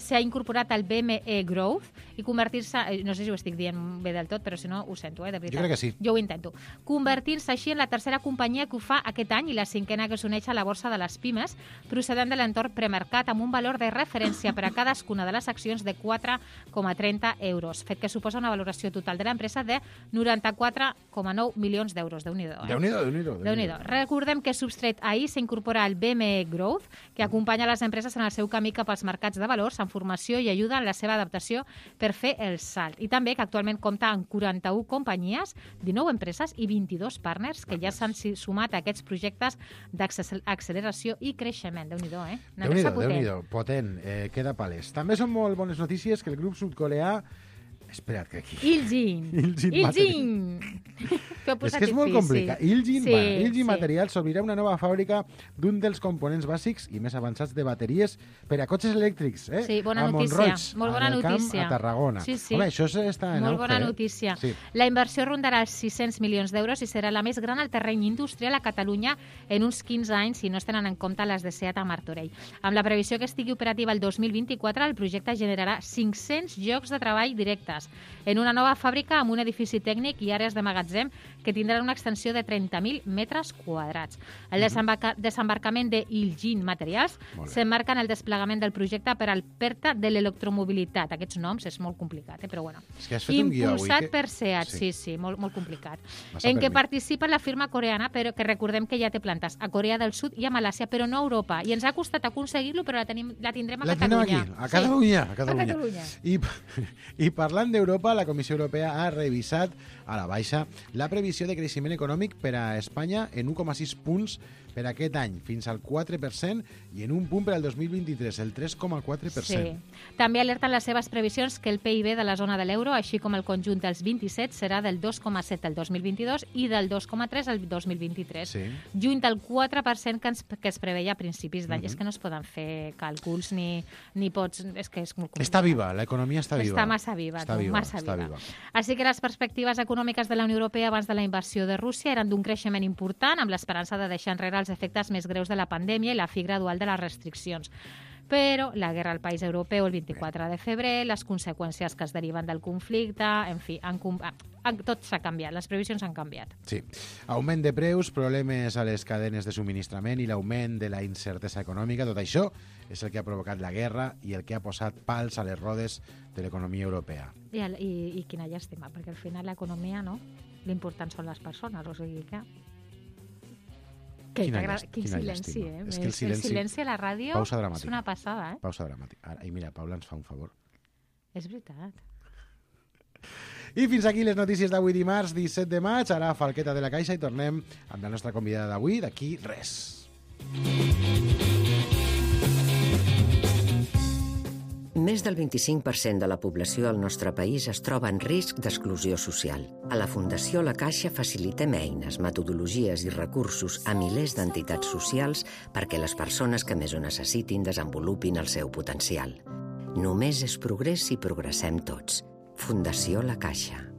s'ha incorporat al BME Growth i convertir-se, no sé si ho estic dient bé del tot, però si no ho sento, de veritat. Jo crec que sí. Jo ho intento. Convertir-se així en la tercera companyia que ho fa aquest any i la cinquena que s'uneix a la borsa de les pimes, procedent de l'entorn premercat amb un valor de referència per a cadascuna de les accions de 4,30 euros, fet que suposa una valoració total de l'empresa de 94,9 milions d'euros. Déu-n'hi-do. Déu-n'hi-do. Recordem que Substrate AI s'incorpora al BME Growth, que acompanya les empreses en el seu camí cap als mercats de valors, en formació i ajuda en la seva adaptació per fer el salt. I també que actualment compta amb 41 companyies, 19 empreses i 22 partners que ja s'han sumat a aquests projectes d'acceleració i creixement. Déu-n'hi-do, Déu-n'hi-do, potent, queda palès. També són molt bones notícies que el grup sud-coreà... Espera't, que aquí... Iljin! És que és molt complicat. Iljin Materials s'obrirà una nova fàbrica d'un dels components bàsics i més avançats de bateries per a cotxes elèctrics. Sí, bona notícia. Molt bona notícia. A Tarragona. Sí. Home, això està en molt bona notícia. Sí. La inversió rondarà els 600 milions d'euros i serà la més gran al terreny industrial a Catalunya en uns 15 anys, si no es tenen en compte les de SEAT a Martorell. Amb la previsió que estigui operativa el 2024, el projecte generarà 500 llocs de treball directes en una nova fàbrica amb un edifici tècnic i àrees de magatzem que tindran una extensió de 30.000 metres quadrats. El desembarcament de Iljin Materials s'emmarca en el desplegament del projecte per al PERTA de l'electromobilitat. Aquests noms és molt complicat, però bueno. És que has fet un guió avui. Impulsat per SEAT, sí, molt complicat. En què participa la firma coreana, però que recordem que ja té plantes a Corea del Sud i a Malàcia, però no a Europa. I ens ha costat aconseguir-lo, però la tindrem a Catalunya. A Catalunya. I parlant d'Europa, la Comissió Europea ha revisat a la baixa la previsió de creixement econòmic per a Espanya en 1,6 punts per aquest any, fins al 4%, i en un punt per al 2023, el 3,4%. Sí. També alerten les seves previsions que el PIB de la zona de l'euro, així com el conjunt dels 27, serà del 2,7 el 2022 i del 2,3 el 2023. Sí. Lluny del 4% que es preveia a principis d'any. És que no es poden fer càlculs ni pots... És que és molt complicat. Està viva, l'economia està viva. Està massa viva. Massa viva. Així que les perspectives econòmiques de la Unió Europea abans de la invasió de Rússia eren d'un creixement important, amb l'esperança de deixar enrere els efectes més greus de la pandèmia i la fi gradual de les restriccions. Però la guerra al país europeu el 24 de febrer, les conseqüències que es deriven del conflicte, en fi, tot s'ha canviat, les previsions han canviat. Sí. Augment de preus, problemes a les cadenes de subministrament i l'augment de la incertesa econòmica, tot això és el que ha provocat la guerra i el que ha posat pals a les rodes de l'economia europea. I quina llàstima, perquè al final l'economia, no? L'important són les persones, o sigui que... Quin silenci, És que el silenci a la ràdio és una passada, Pausa dramàtica. I mira, Paula ens fa un favor. És veritat. I fins aquí les notícies d'avui dimarts, 17 de maig. Ara Falqueta de la Caixa i tornem amb la nostra convidada d'avui, d'aquí res. Més del 25% de la població al nostre país es troba en risc d'exclusió social. A la Fundació La Caixa facilitem eines, metodologies i recursos a milers d'entitats socials perquè les persones que més ho necessitin desenvolupin el seu potencial. Només és progrés si progressem tots. Fundació La Caixa.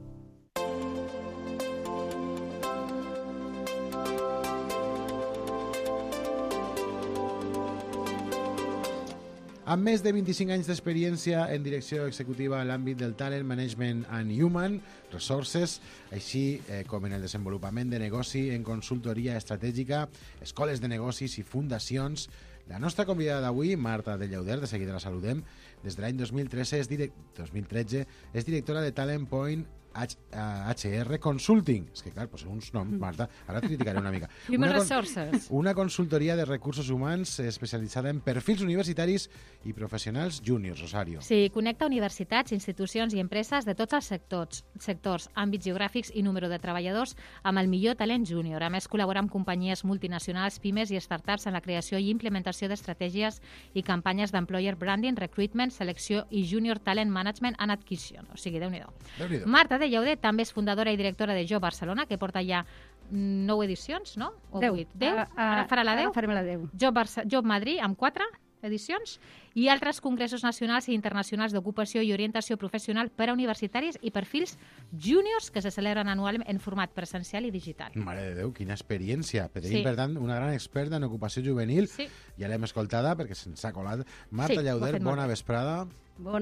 Amb més de 25 anys d'experiència en direcció executiva en l'àmbit del Talent Management and Human Resources, així com en el desenvolupament de negoci en consultoria estratègica, escoles de negocis i fundacions, la nostra convidada d'avui, Marta de Llauder, de seguida la saludem, des de l'any 2013 és directora de Talent Point HR Consulting. És que, clar, pues, uns noms, Marta, ara et criticaré una mica. Human Resources. Una consultoria de recursos humans especialitzada en perfils universitaris i professionals júniors, Rosario. Sí, connecta universitats, institucions i empreses de tots els sectors, àmbits geogràfics i número de treballadors amb el millor talent júnior. A més, col·labora amb companyies multinacionals, pimes i startups en la creació i implementació d'estratègies i campanyes d'employer branding, recruitment, selecció i junior talent management and acquisition. O sigui, Déu-n'hi-do. Marta de Llaudet també és fundadora i directora de Job Barcelona, que porta ja 9 edicions, no? O 8? 10? Ara farà la 10? Ara farem la 10. Job Madrid, amb 4 edicions, i altres congressos nacionals i internacionals d'ocupació i orientació professional per a universitaris i perfils júniors que se celebren anualment en format presencial i digital. Mare de Déu, quina experiència. Tenim, per tant, una gran experta en ocupació juvenil. Ja l'hem escoltada perquè se'ns ha colat. Marta Llaudet, bona vesprada. Bon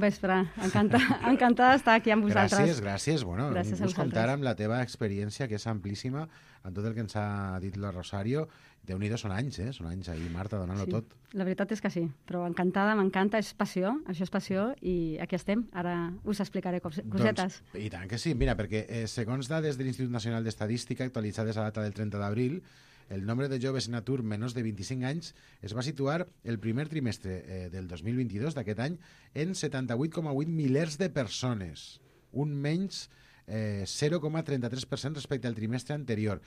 vespre. Encantada d'estar aquí amb vosaltres. Gràcies. Bueno, gràcies a vosaltres. Comptar amb la teva experiència, que és amplíssima, en tot el que ens ha dit la Rosario. Déu-n'hi-do, són anys, Són anys ahir, Marta, donant-lo tot. La veritat és que sí, però encantada, m'encanta, és passió, això és passió, i aquí estem. Ara us explicaré cosetes. I tant que sí, mira, perquè segons dades de l'Institut Nacional d'Estadística, actualitzades a data del 30 d'abril, el nombre de joves en atur menors de 25 anys es va situar el primer trimestre del 2022 d'aquest any en 78,8 milers de persones, un menys 0,33% respecte al trimestre anterior.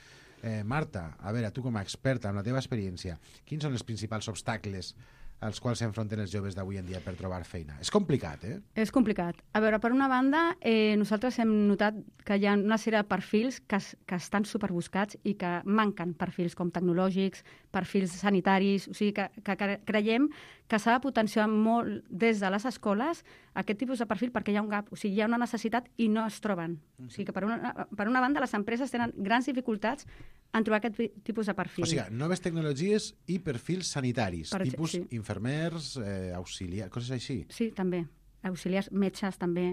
Marta, a veure, tu com a experta, amb la teva experiència, quins són els principals obstacles als quals s'enfronten els joves d'avui en dia per trobar feina? És complicat, És complicat. A veure, per una banda, nosaltres hem notat que hi ha una sèrie de perfils que estan superbuscats i que manquen perfils com tecnològics, perfils sanitaris, o sigui que creiem que s'ha de potenciar molt des de les escoles aquest tipus de perfil perquè hi ha un gap, o sigui, hi ha una necessitat i no es troben. O sigui que per una banda les empreses tenen grans dificultats en trobar aquest tipus de perfil. O sigui, noves tecnologies i perfils sanitaris, tipus infermers, auxiliars, coses així. Sí, també. Auxiliars, metges també.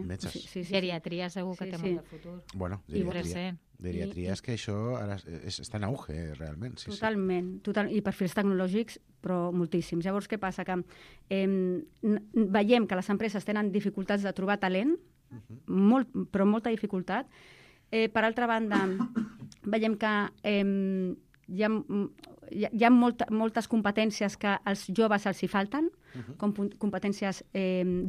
Geriatria segur que té molt de futur. Bueno, geriatria és que això ara està en auge, realment. Totalment. I perfils tecnològics, però moltíssims. Llavors, què passa? Que veiem que les empreses tenen dificultats de trobar talent, però molta dificultat. Per altra banda, veiem que hi ha moltes competències que als joves els hi falten, com competències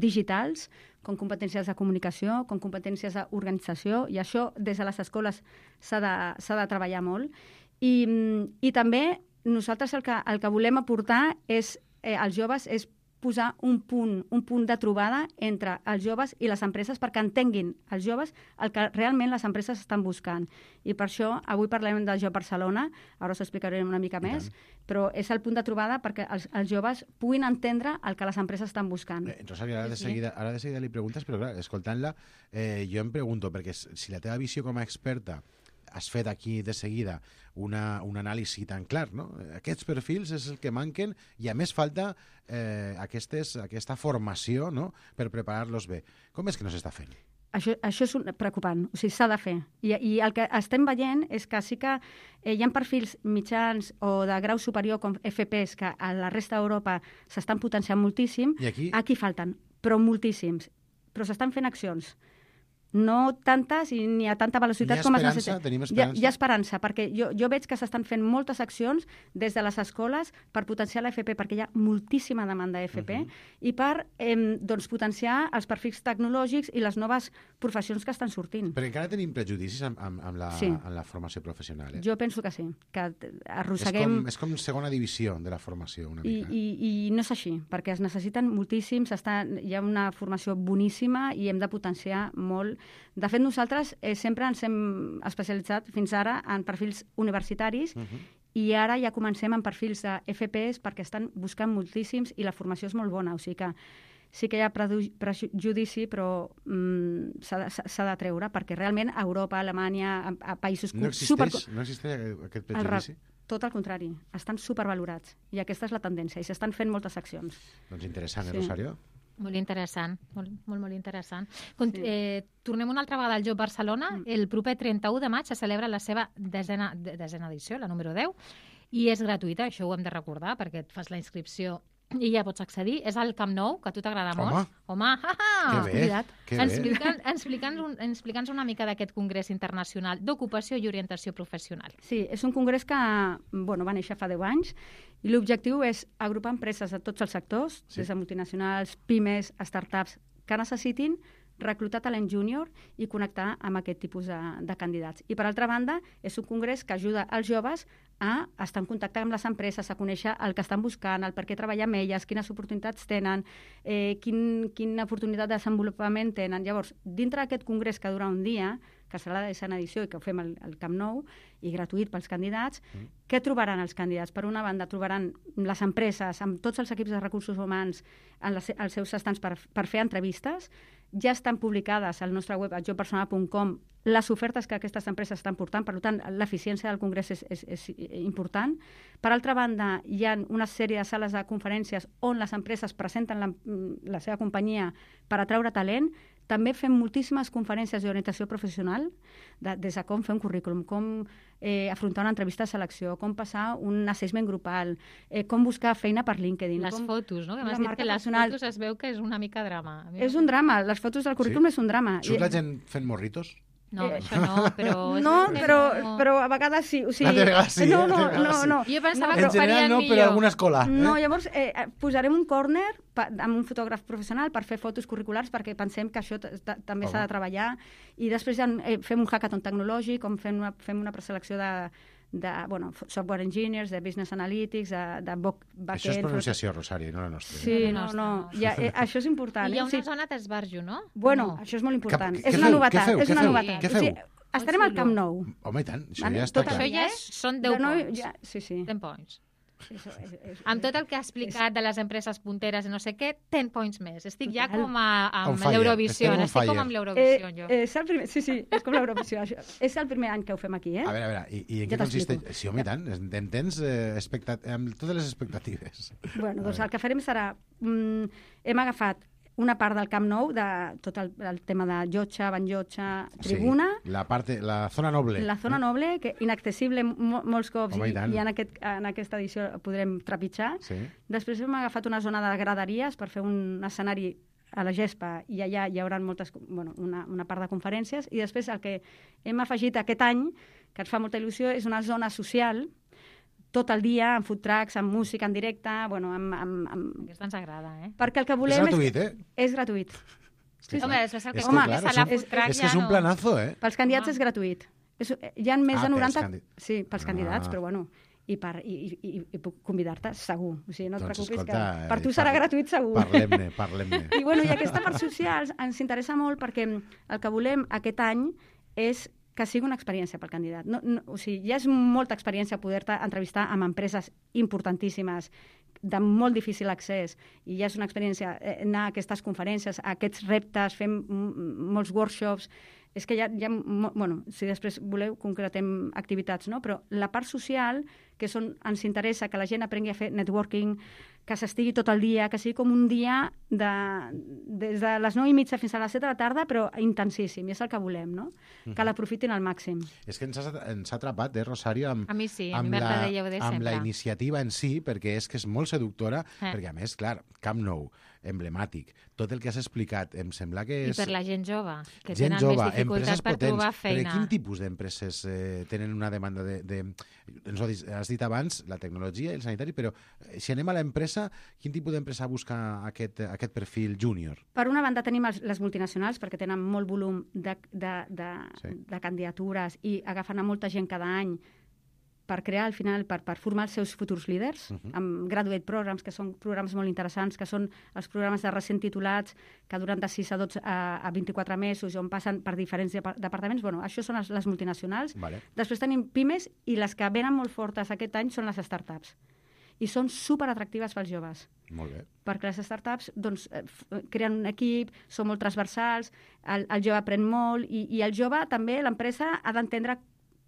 digitals, com competències de comunicació, com competències d'organització, i això des de les escoles s'ha de treballar molt. I també nosaltres el que volem aportar als joves és posar un punt de trobada entre els joves i les empreses perquè entenguin els joves el que realment les empreses estan buscant. I per això avui parlem de Job Barcelona, ara us explicaré una mica més, però és el punt de trobada perquè els joves puguin entendre el que les empreses estan buscant. Rosario, ara de seguida li preguntes, però clar, escoltant-la, jo em pregunto, perquè si la teva visió com a experta has fet aquí de seguida un anàlisi tan clar, no? Aquests perfils és el que manquen i a més falta aquesta formació, no?, per preparar-los bé. Com és que no s'està fent? Això és preocupant, o sigui, s'ha de fer. I el que estem veient és que sí que hi ha perfils mitjans o de grau superior com FPs que a la resta d'Europa s'estan potenciant moltíssim. I aquí falten, però moltíssims. Però s'estan fent accions. No tantes i ni a tanta velocitat com es necessita. Tenim esperança? Hi ha esperança, perquè jo veig que s'estan fent moltes accions des de les escoles per potenciar l'FP, perquè hi ha moltíssima demanda d'FP, i per potenciar els perfils tecnològics i les noves professions que estan sortint. Però encara tenim prejudicis amb la formació professional. Jo penso que sí, que arrosseguem... És com segona divisió de la formació, una mica. I no és així, perquè es necessiten moltíssims, hi ha una formació boníssima i hem de potenciar molt. De fet, nosaltres sempre ens hem especialitzat fins ara en perfils universitaris i ara ja comencem en perfils de FPs perquè estan buscant moltíssims i la formació és molt bona. O sigui que sí que hi ha prejudici, però s'ha de treure perquè realment a Europa, a Alemanya, a països... No existeix aquest prejudici? Tot el contrari, estan supervalorats i aquesta és la tendència i s'estan fent moltes accions. Doncs interessant, Rosario? Molt interessant, molt interessant. Tornem una altra vegada al Job Barcelona. El proper 31 de maig se celebra la seva desena edició, la número 10, i és gratuïta, això ho hem de recordar, perquè et fas la inscripció i ja pots accedir. És al Camp Nou, que a tu t'agrada molt. Home, explica'ns una mica d'aquest Congrés Internacional d'Ocupació i Orientació Professional. Sí, és un congrés que va néixer fa 10 anys i l'objectiu és agrupar empreses de tots els sectors, des de multinacionals, pimes, startups, que necessitin reclutar talent júnior i connectar amb aquest tipus de candidats. I, per altra banda, és un congrés que ajuda els joves a estar en contacte amb les empreses, a conèixer el que estan buscant, el per què treballar amb elles, quines oportunitats tenen, quina oportunitat de desenvolupament tenen. Llavors, dintre d'aquest congrés que dura un dia, que serà la 10a edició i que ho fem al Camp Nou, i gratuït pels candidats, què trobaran els candidats? Per una banda, trobaran les empreses, amb tots els equips de recursos humans, als seus estants per fer entrevistes. Ja estan publicades al nostre web, a jopersonal.com, les ofertes que aquestes empreses estan portant, per tant, l'eficiència del congrés és important. Per altra banda, hi ha una sèrie de sales de conferències on les empreses presenten la seva companyia per atraure talent. També fem moltíssimes conferències d'orientació professional, des de com fer un currículum, com afrontar una entrevista de selecció, com passar un assessment grupal, com buscar feina per LinkedIn. Les fotos, no? Que m'has dit que les fotos es veu que és una mica drama. És un drama, les fotos del currículum és un drama. Surt la gent fent morritos? No, això no, però... però a vegades sí. O sigui, a vegades sí. No. Jo pensava que ho farien millor. Però alguna escola. No, llavors posarem un còrner amb un fotògraf professional per fer fotos curriculars perquè pensem que això també s'ha de treballar i després ja fem un hackathon tecnològic on fem una preselecció de software engineers, de business analytics, de backend... Això és pronunciació, Rosario, no la nostra. Sí, no. Això és important. I hi ha una zona d'esbarjo, no? Bueno, això és molt important. És una novetat. Què feu? Estarem al Camp Nou. Home, i tant, això ja està clar. Això ja són 10 points. Sí. 10 points. Amb tot el que ha explicat de les empreses punteres i no sé què, 10 points més. Estic ja com amb l'Eurovisió. Estic com amb l'Eurovisió, jo. Sí, és com l'Eurovisió. És el primer any que ho fem aquí, A veure, i en què consisteix? Sí, home, i tant. En tens amb totes les expectatives. Bueno, doncs el que farem serà... Hem agafat una part del Camp Nou, de tot el tema de llotja, banyotja, tribuna... Sí, la zona noble. La zona noble, que inaccessible molts cops, i en aquesta edició podrem trepitjar. Sí. Després hem agafat una zona de graderies per fer un escenari a la gespa, i allà hi haurà una part de conferències, i després el que hem afegit aquest any, que ens fa molta il·lusió, és una zona social, tot el dia, amb food trucks, amb música en directe, Aquesta ens agrada, Perquè el que volem... És gratuït, És gratuït. Home, després el que és la food truck és que és un planazo, Pels candidats és gratuït. Hi ha més de 90... Sí, pels candidats, però bueno... I puc convidar-te segur. O sigui, no et preocupis, que per tu serà gratuït segur. Parlem-ne. I aquesta part social ens interessa molt perquè el que volem aquest any és que sigui una experiència pel candidat. O sigui, ja és molta experiència poder-te entrevistar amb empreses importantíssimes, de molt difícil accés, i ja és una experiència anar a aquestes conferències, a aquests reptes, fem molts workshops. És que si després voleu, concretem activitats, no? Però la part social, que ens interessa que la gent aprengui a fer networking, que s'estigui tot el dia, que sigui com un dia des de les 9:30 fins a les 7 de la tarda, però intensíssim, i és el que volem, no? Que l'aprofitin al màxim. És que ens ha atrapat, Rosario, a mi sí, amb la iniciativa en si, perquè és que és molt seductora, perquè a més, clar, Camp Nou, emblemàtic, tot el que has explicat, em sembla que és... I per la gent jove, que tenen més dificultats per trobar feina. Però quin tipus d'empreses tenen una demanda de... Ens has dit abans, la tecnologia i el sanitari, però si anem a l'empresa, quin tipus d'empresa busca aquest perfil júnior? Per una banda tenim les multinacionals, perquè tenen molt volum de candidatures i agafen a molta gent cada any per crear, al final, per formar els seus futurs líders, amb graduate programs, que són programes molt interessants, que són els programes de recent titulats, que duren de 6 a 12 a 24 mesos, on passen per diferents departaments. Bueno, això són les multinacionals. Vale. Després tenim pimes, i les que venen molt fortes aquest any són les startups. I són superatractives pels joves. Molt bé. Perquè les startups creen un equip, són molt transversals, el jove aprèn molt, i el jove també, l'empresa, ha d'entendre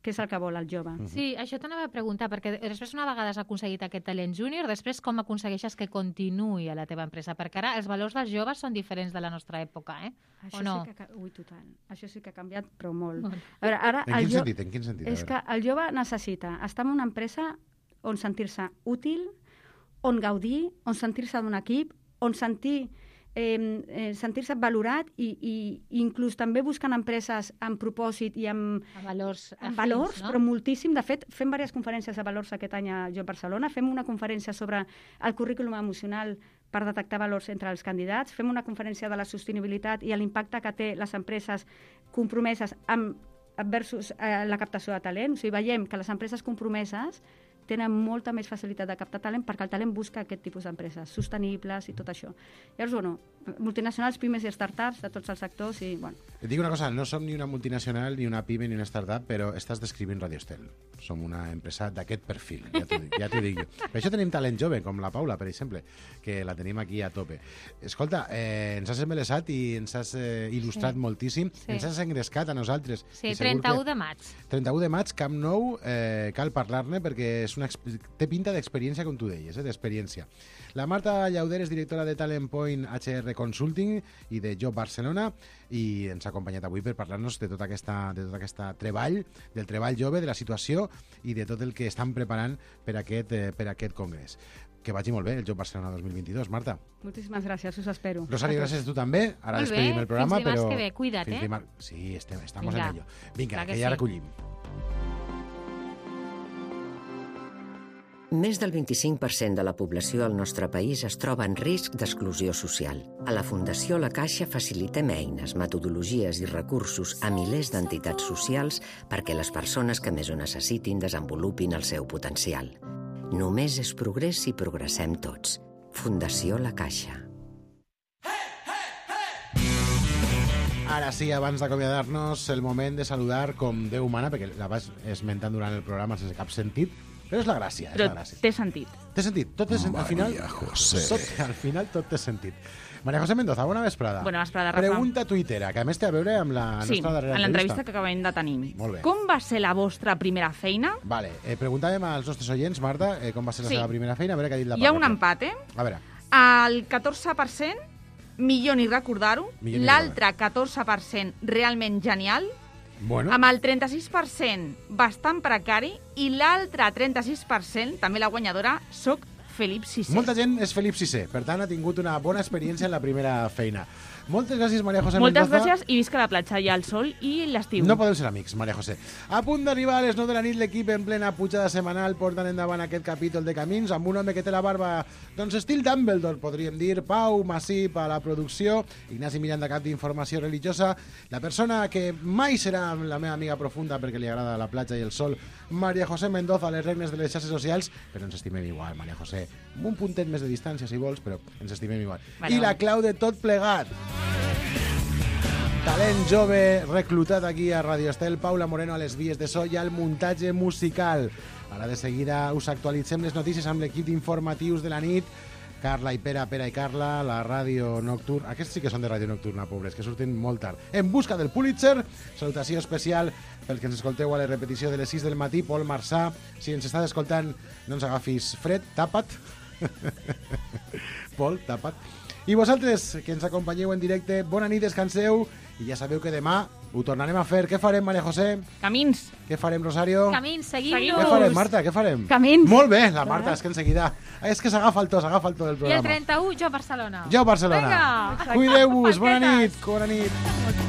què és el que vol el jove. Sí, això t'anava a preguntar, perquè després una vegada has aconseguit aquest talent júnior, després com aconsegueixes que continuï a la teva empresa? Perquè ara els valors dels joves són diferents de la nostra època, Això o no? Total. Això sí que ha canviat, però molt. A veure, ara, en quin sentit? És que el jove necessita estar en una empresa on sentir-se útil, on gaudir, on sentir-se d'un equip, on sentir-se valorat i inclús també buscant empreses amb propòsit i amb valors, valors, no? però moltíssim. De fet, fem diverses conferències de valors aquest any a Jo Barcelona. Fem una conferència sobre el currículum emocional per detectar valors entre els candidats. Fem una conferència de la sostenibilitat i l'impacte que té les empreses compromeses versus la captació de talent. O sigui, veiem que les empreses compromeses tenen molta més facilitat de captar talent perquè el talent busca aquest tipus d'empreses sostenibles i tot això. Llavors, bueno, multinacionals, pimes i startups de tots els sectors i, bueno. Et dic una cosa, no som ni una multinacional, ni una pime, ni una startup, però estàs descrivint Radio Estel. Som una empresa d'aquest perfil, ja t'ho dic jo. Per això tenim talent jove, com la Paula, per exemple, que la tenim aquí a tope. Escolta, ens has embelesat i ens has il·lustrat moltíssim, ens has engrescat a nosaltres. Sí, 31 de maig. 31 de maig, Camp Nou, cal parlar-ne perquè té pinta d'experiència, com tu deies, d'experiència. La Marta Llauder és directora de Talent Point HR Consulting i de Job Barcelona i ens ha acompanyat avui per parlar-nos de tot aquest treball, del treball jove, de la situació i de tot el que estan preparant per aquest congrés. Que vagi molt bé el Job Barcelona 2022, Marta. Moltíssimes gràcies, us espero. Rosario, gràcies a tu també. Ara despedim el programa. Fins dimarts que ve, cuida't, Sí, estamos en ello. Vinga, que ja recollim. Més del 25% de la població al nostre país es troba en risc d'exclusió social. A la Fundació La Caixa facilitem eines, metodologies i recursos a milers d'entitats socials perquè les persones que més ho necessitin desenvolupin el seu potencial. Només és progrés si progressem tots. Fundació La Caixa. Ara sí, abans d'acomiadar-nos, el moment de saludar com Déu mana, perquè la vas esmentant durant el programa sense cap sentit, però és la gràcia, és la gràcia. Té sentit. Té sentit, tot té sentit. Al final tot té sentit. Maria José Mendoza, bona vesprada. Bona vesprada, Rafa. Pregunta tuitera, que a més té a veure amb la nostra darrera en l'entrevista que acabem de tenir. Molt bé. Com va ser la vostra primera feina? Vale, preguntàvem als nostres oients, Marta, com va ser la seva primera feina, a veure què ha dit la Hi ha un empat, A veure. El 14%, millor ni recordar-ho. L'altre 14%, realment genial. Bueno. Amb el 36% bastant precari i l'altre 36%, també la guanyadora, soc Felip VI. Molta gent és Felip VI, per tant ha tingut una bona experiència en la primera feina. Moltes gràcies, Maria José Mendoza. Moltes gràcies i visca la platja i el sol i l'estiu. No podem ser amics, Maria José. A punt d'arribar a les 9 de la nit, l'equip en plena pujada setmanal porten endavant aquest capítol de Camins amb un home que té la barba, doncs, estil Dumbledore, podríem dir. Pau Massip a la producció, Ignasi Miranda, cap d'informació religiosa, la persona que mai serà la meva amiga profunda perquè li agrada la platja i el sol, Maria José Mendoza, a les regnes de les xarxes socials, però ens estimem igual, Maria José. Amb un puntet més de distància, si vols, però ens estimem igual. I la clau de tot plegat, talent jove reclutat aquí a Radio Estel, Paula Moreno a les vies de so i al muntatge musical. Ara de seguida us actualitzem les notícies amb l'equip d'informatius de la nit. Carla i Pere i Carla, la ràdio nocturna. Aquests sí que són de ràdio nocturna, pobres, que surten molt tard. En busca del Pulitzer, salutació especial pel que ens escolteu a la repetició de les 6 del matí. Pol Marçà, si ens estàs escoltant, no ens agafis fred, tapa't. Pol, tapa't. I vosaltres, que ens acompanyeu en directe, bona nit, descanseu, i ja sabeu que demà ho tornarem a fer. Què farem, Maria José? Camins. Què farem, Rosario? Camins, seguim-nos. Què farem, Marta? Què farem? Camins. Molt bé, la Marta, és que en seguida... És que s'agafa el to del programa. I el 31, Jo Barcelona. Jo Barcelona. Vinga. Cuideu-vos, bona nit.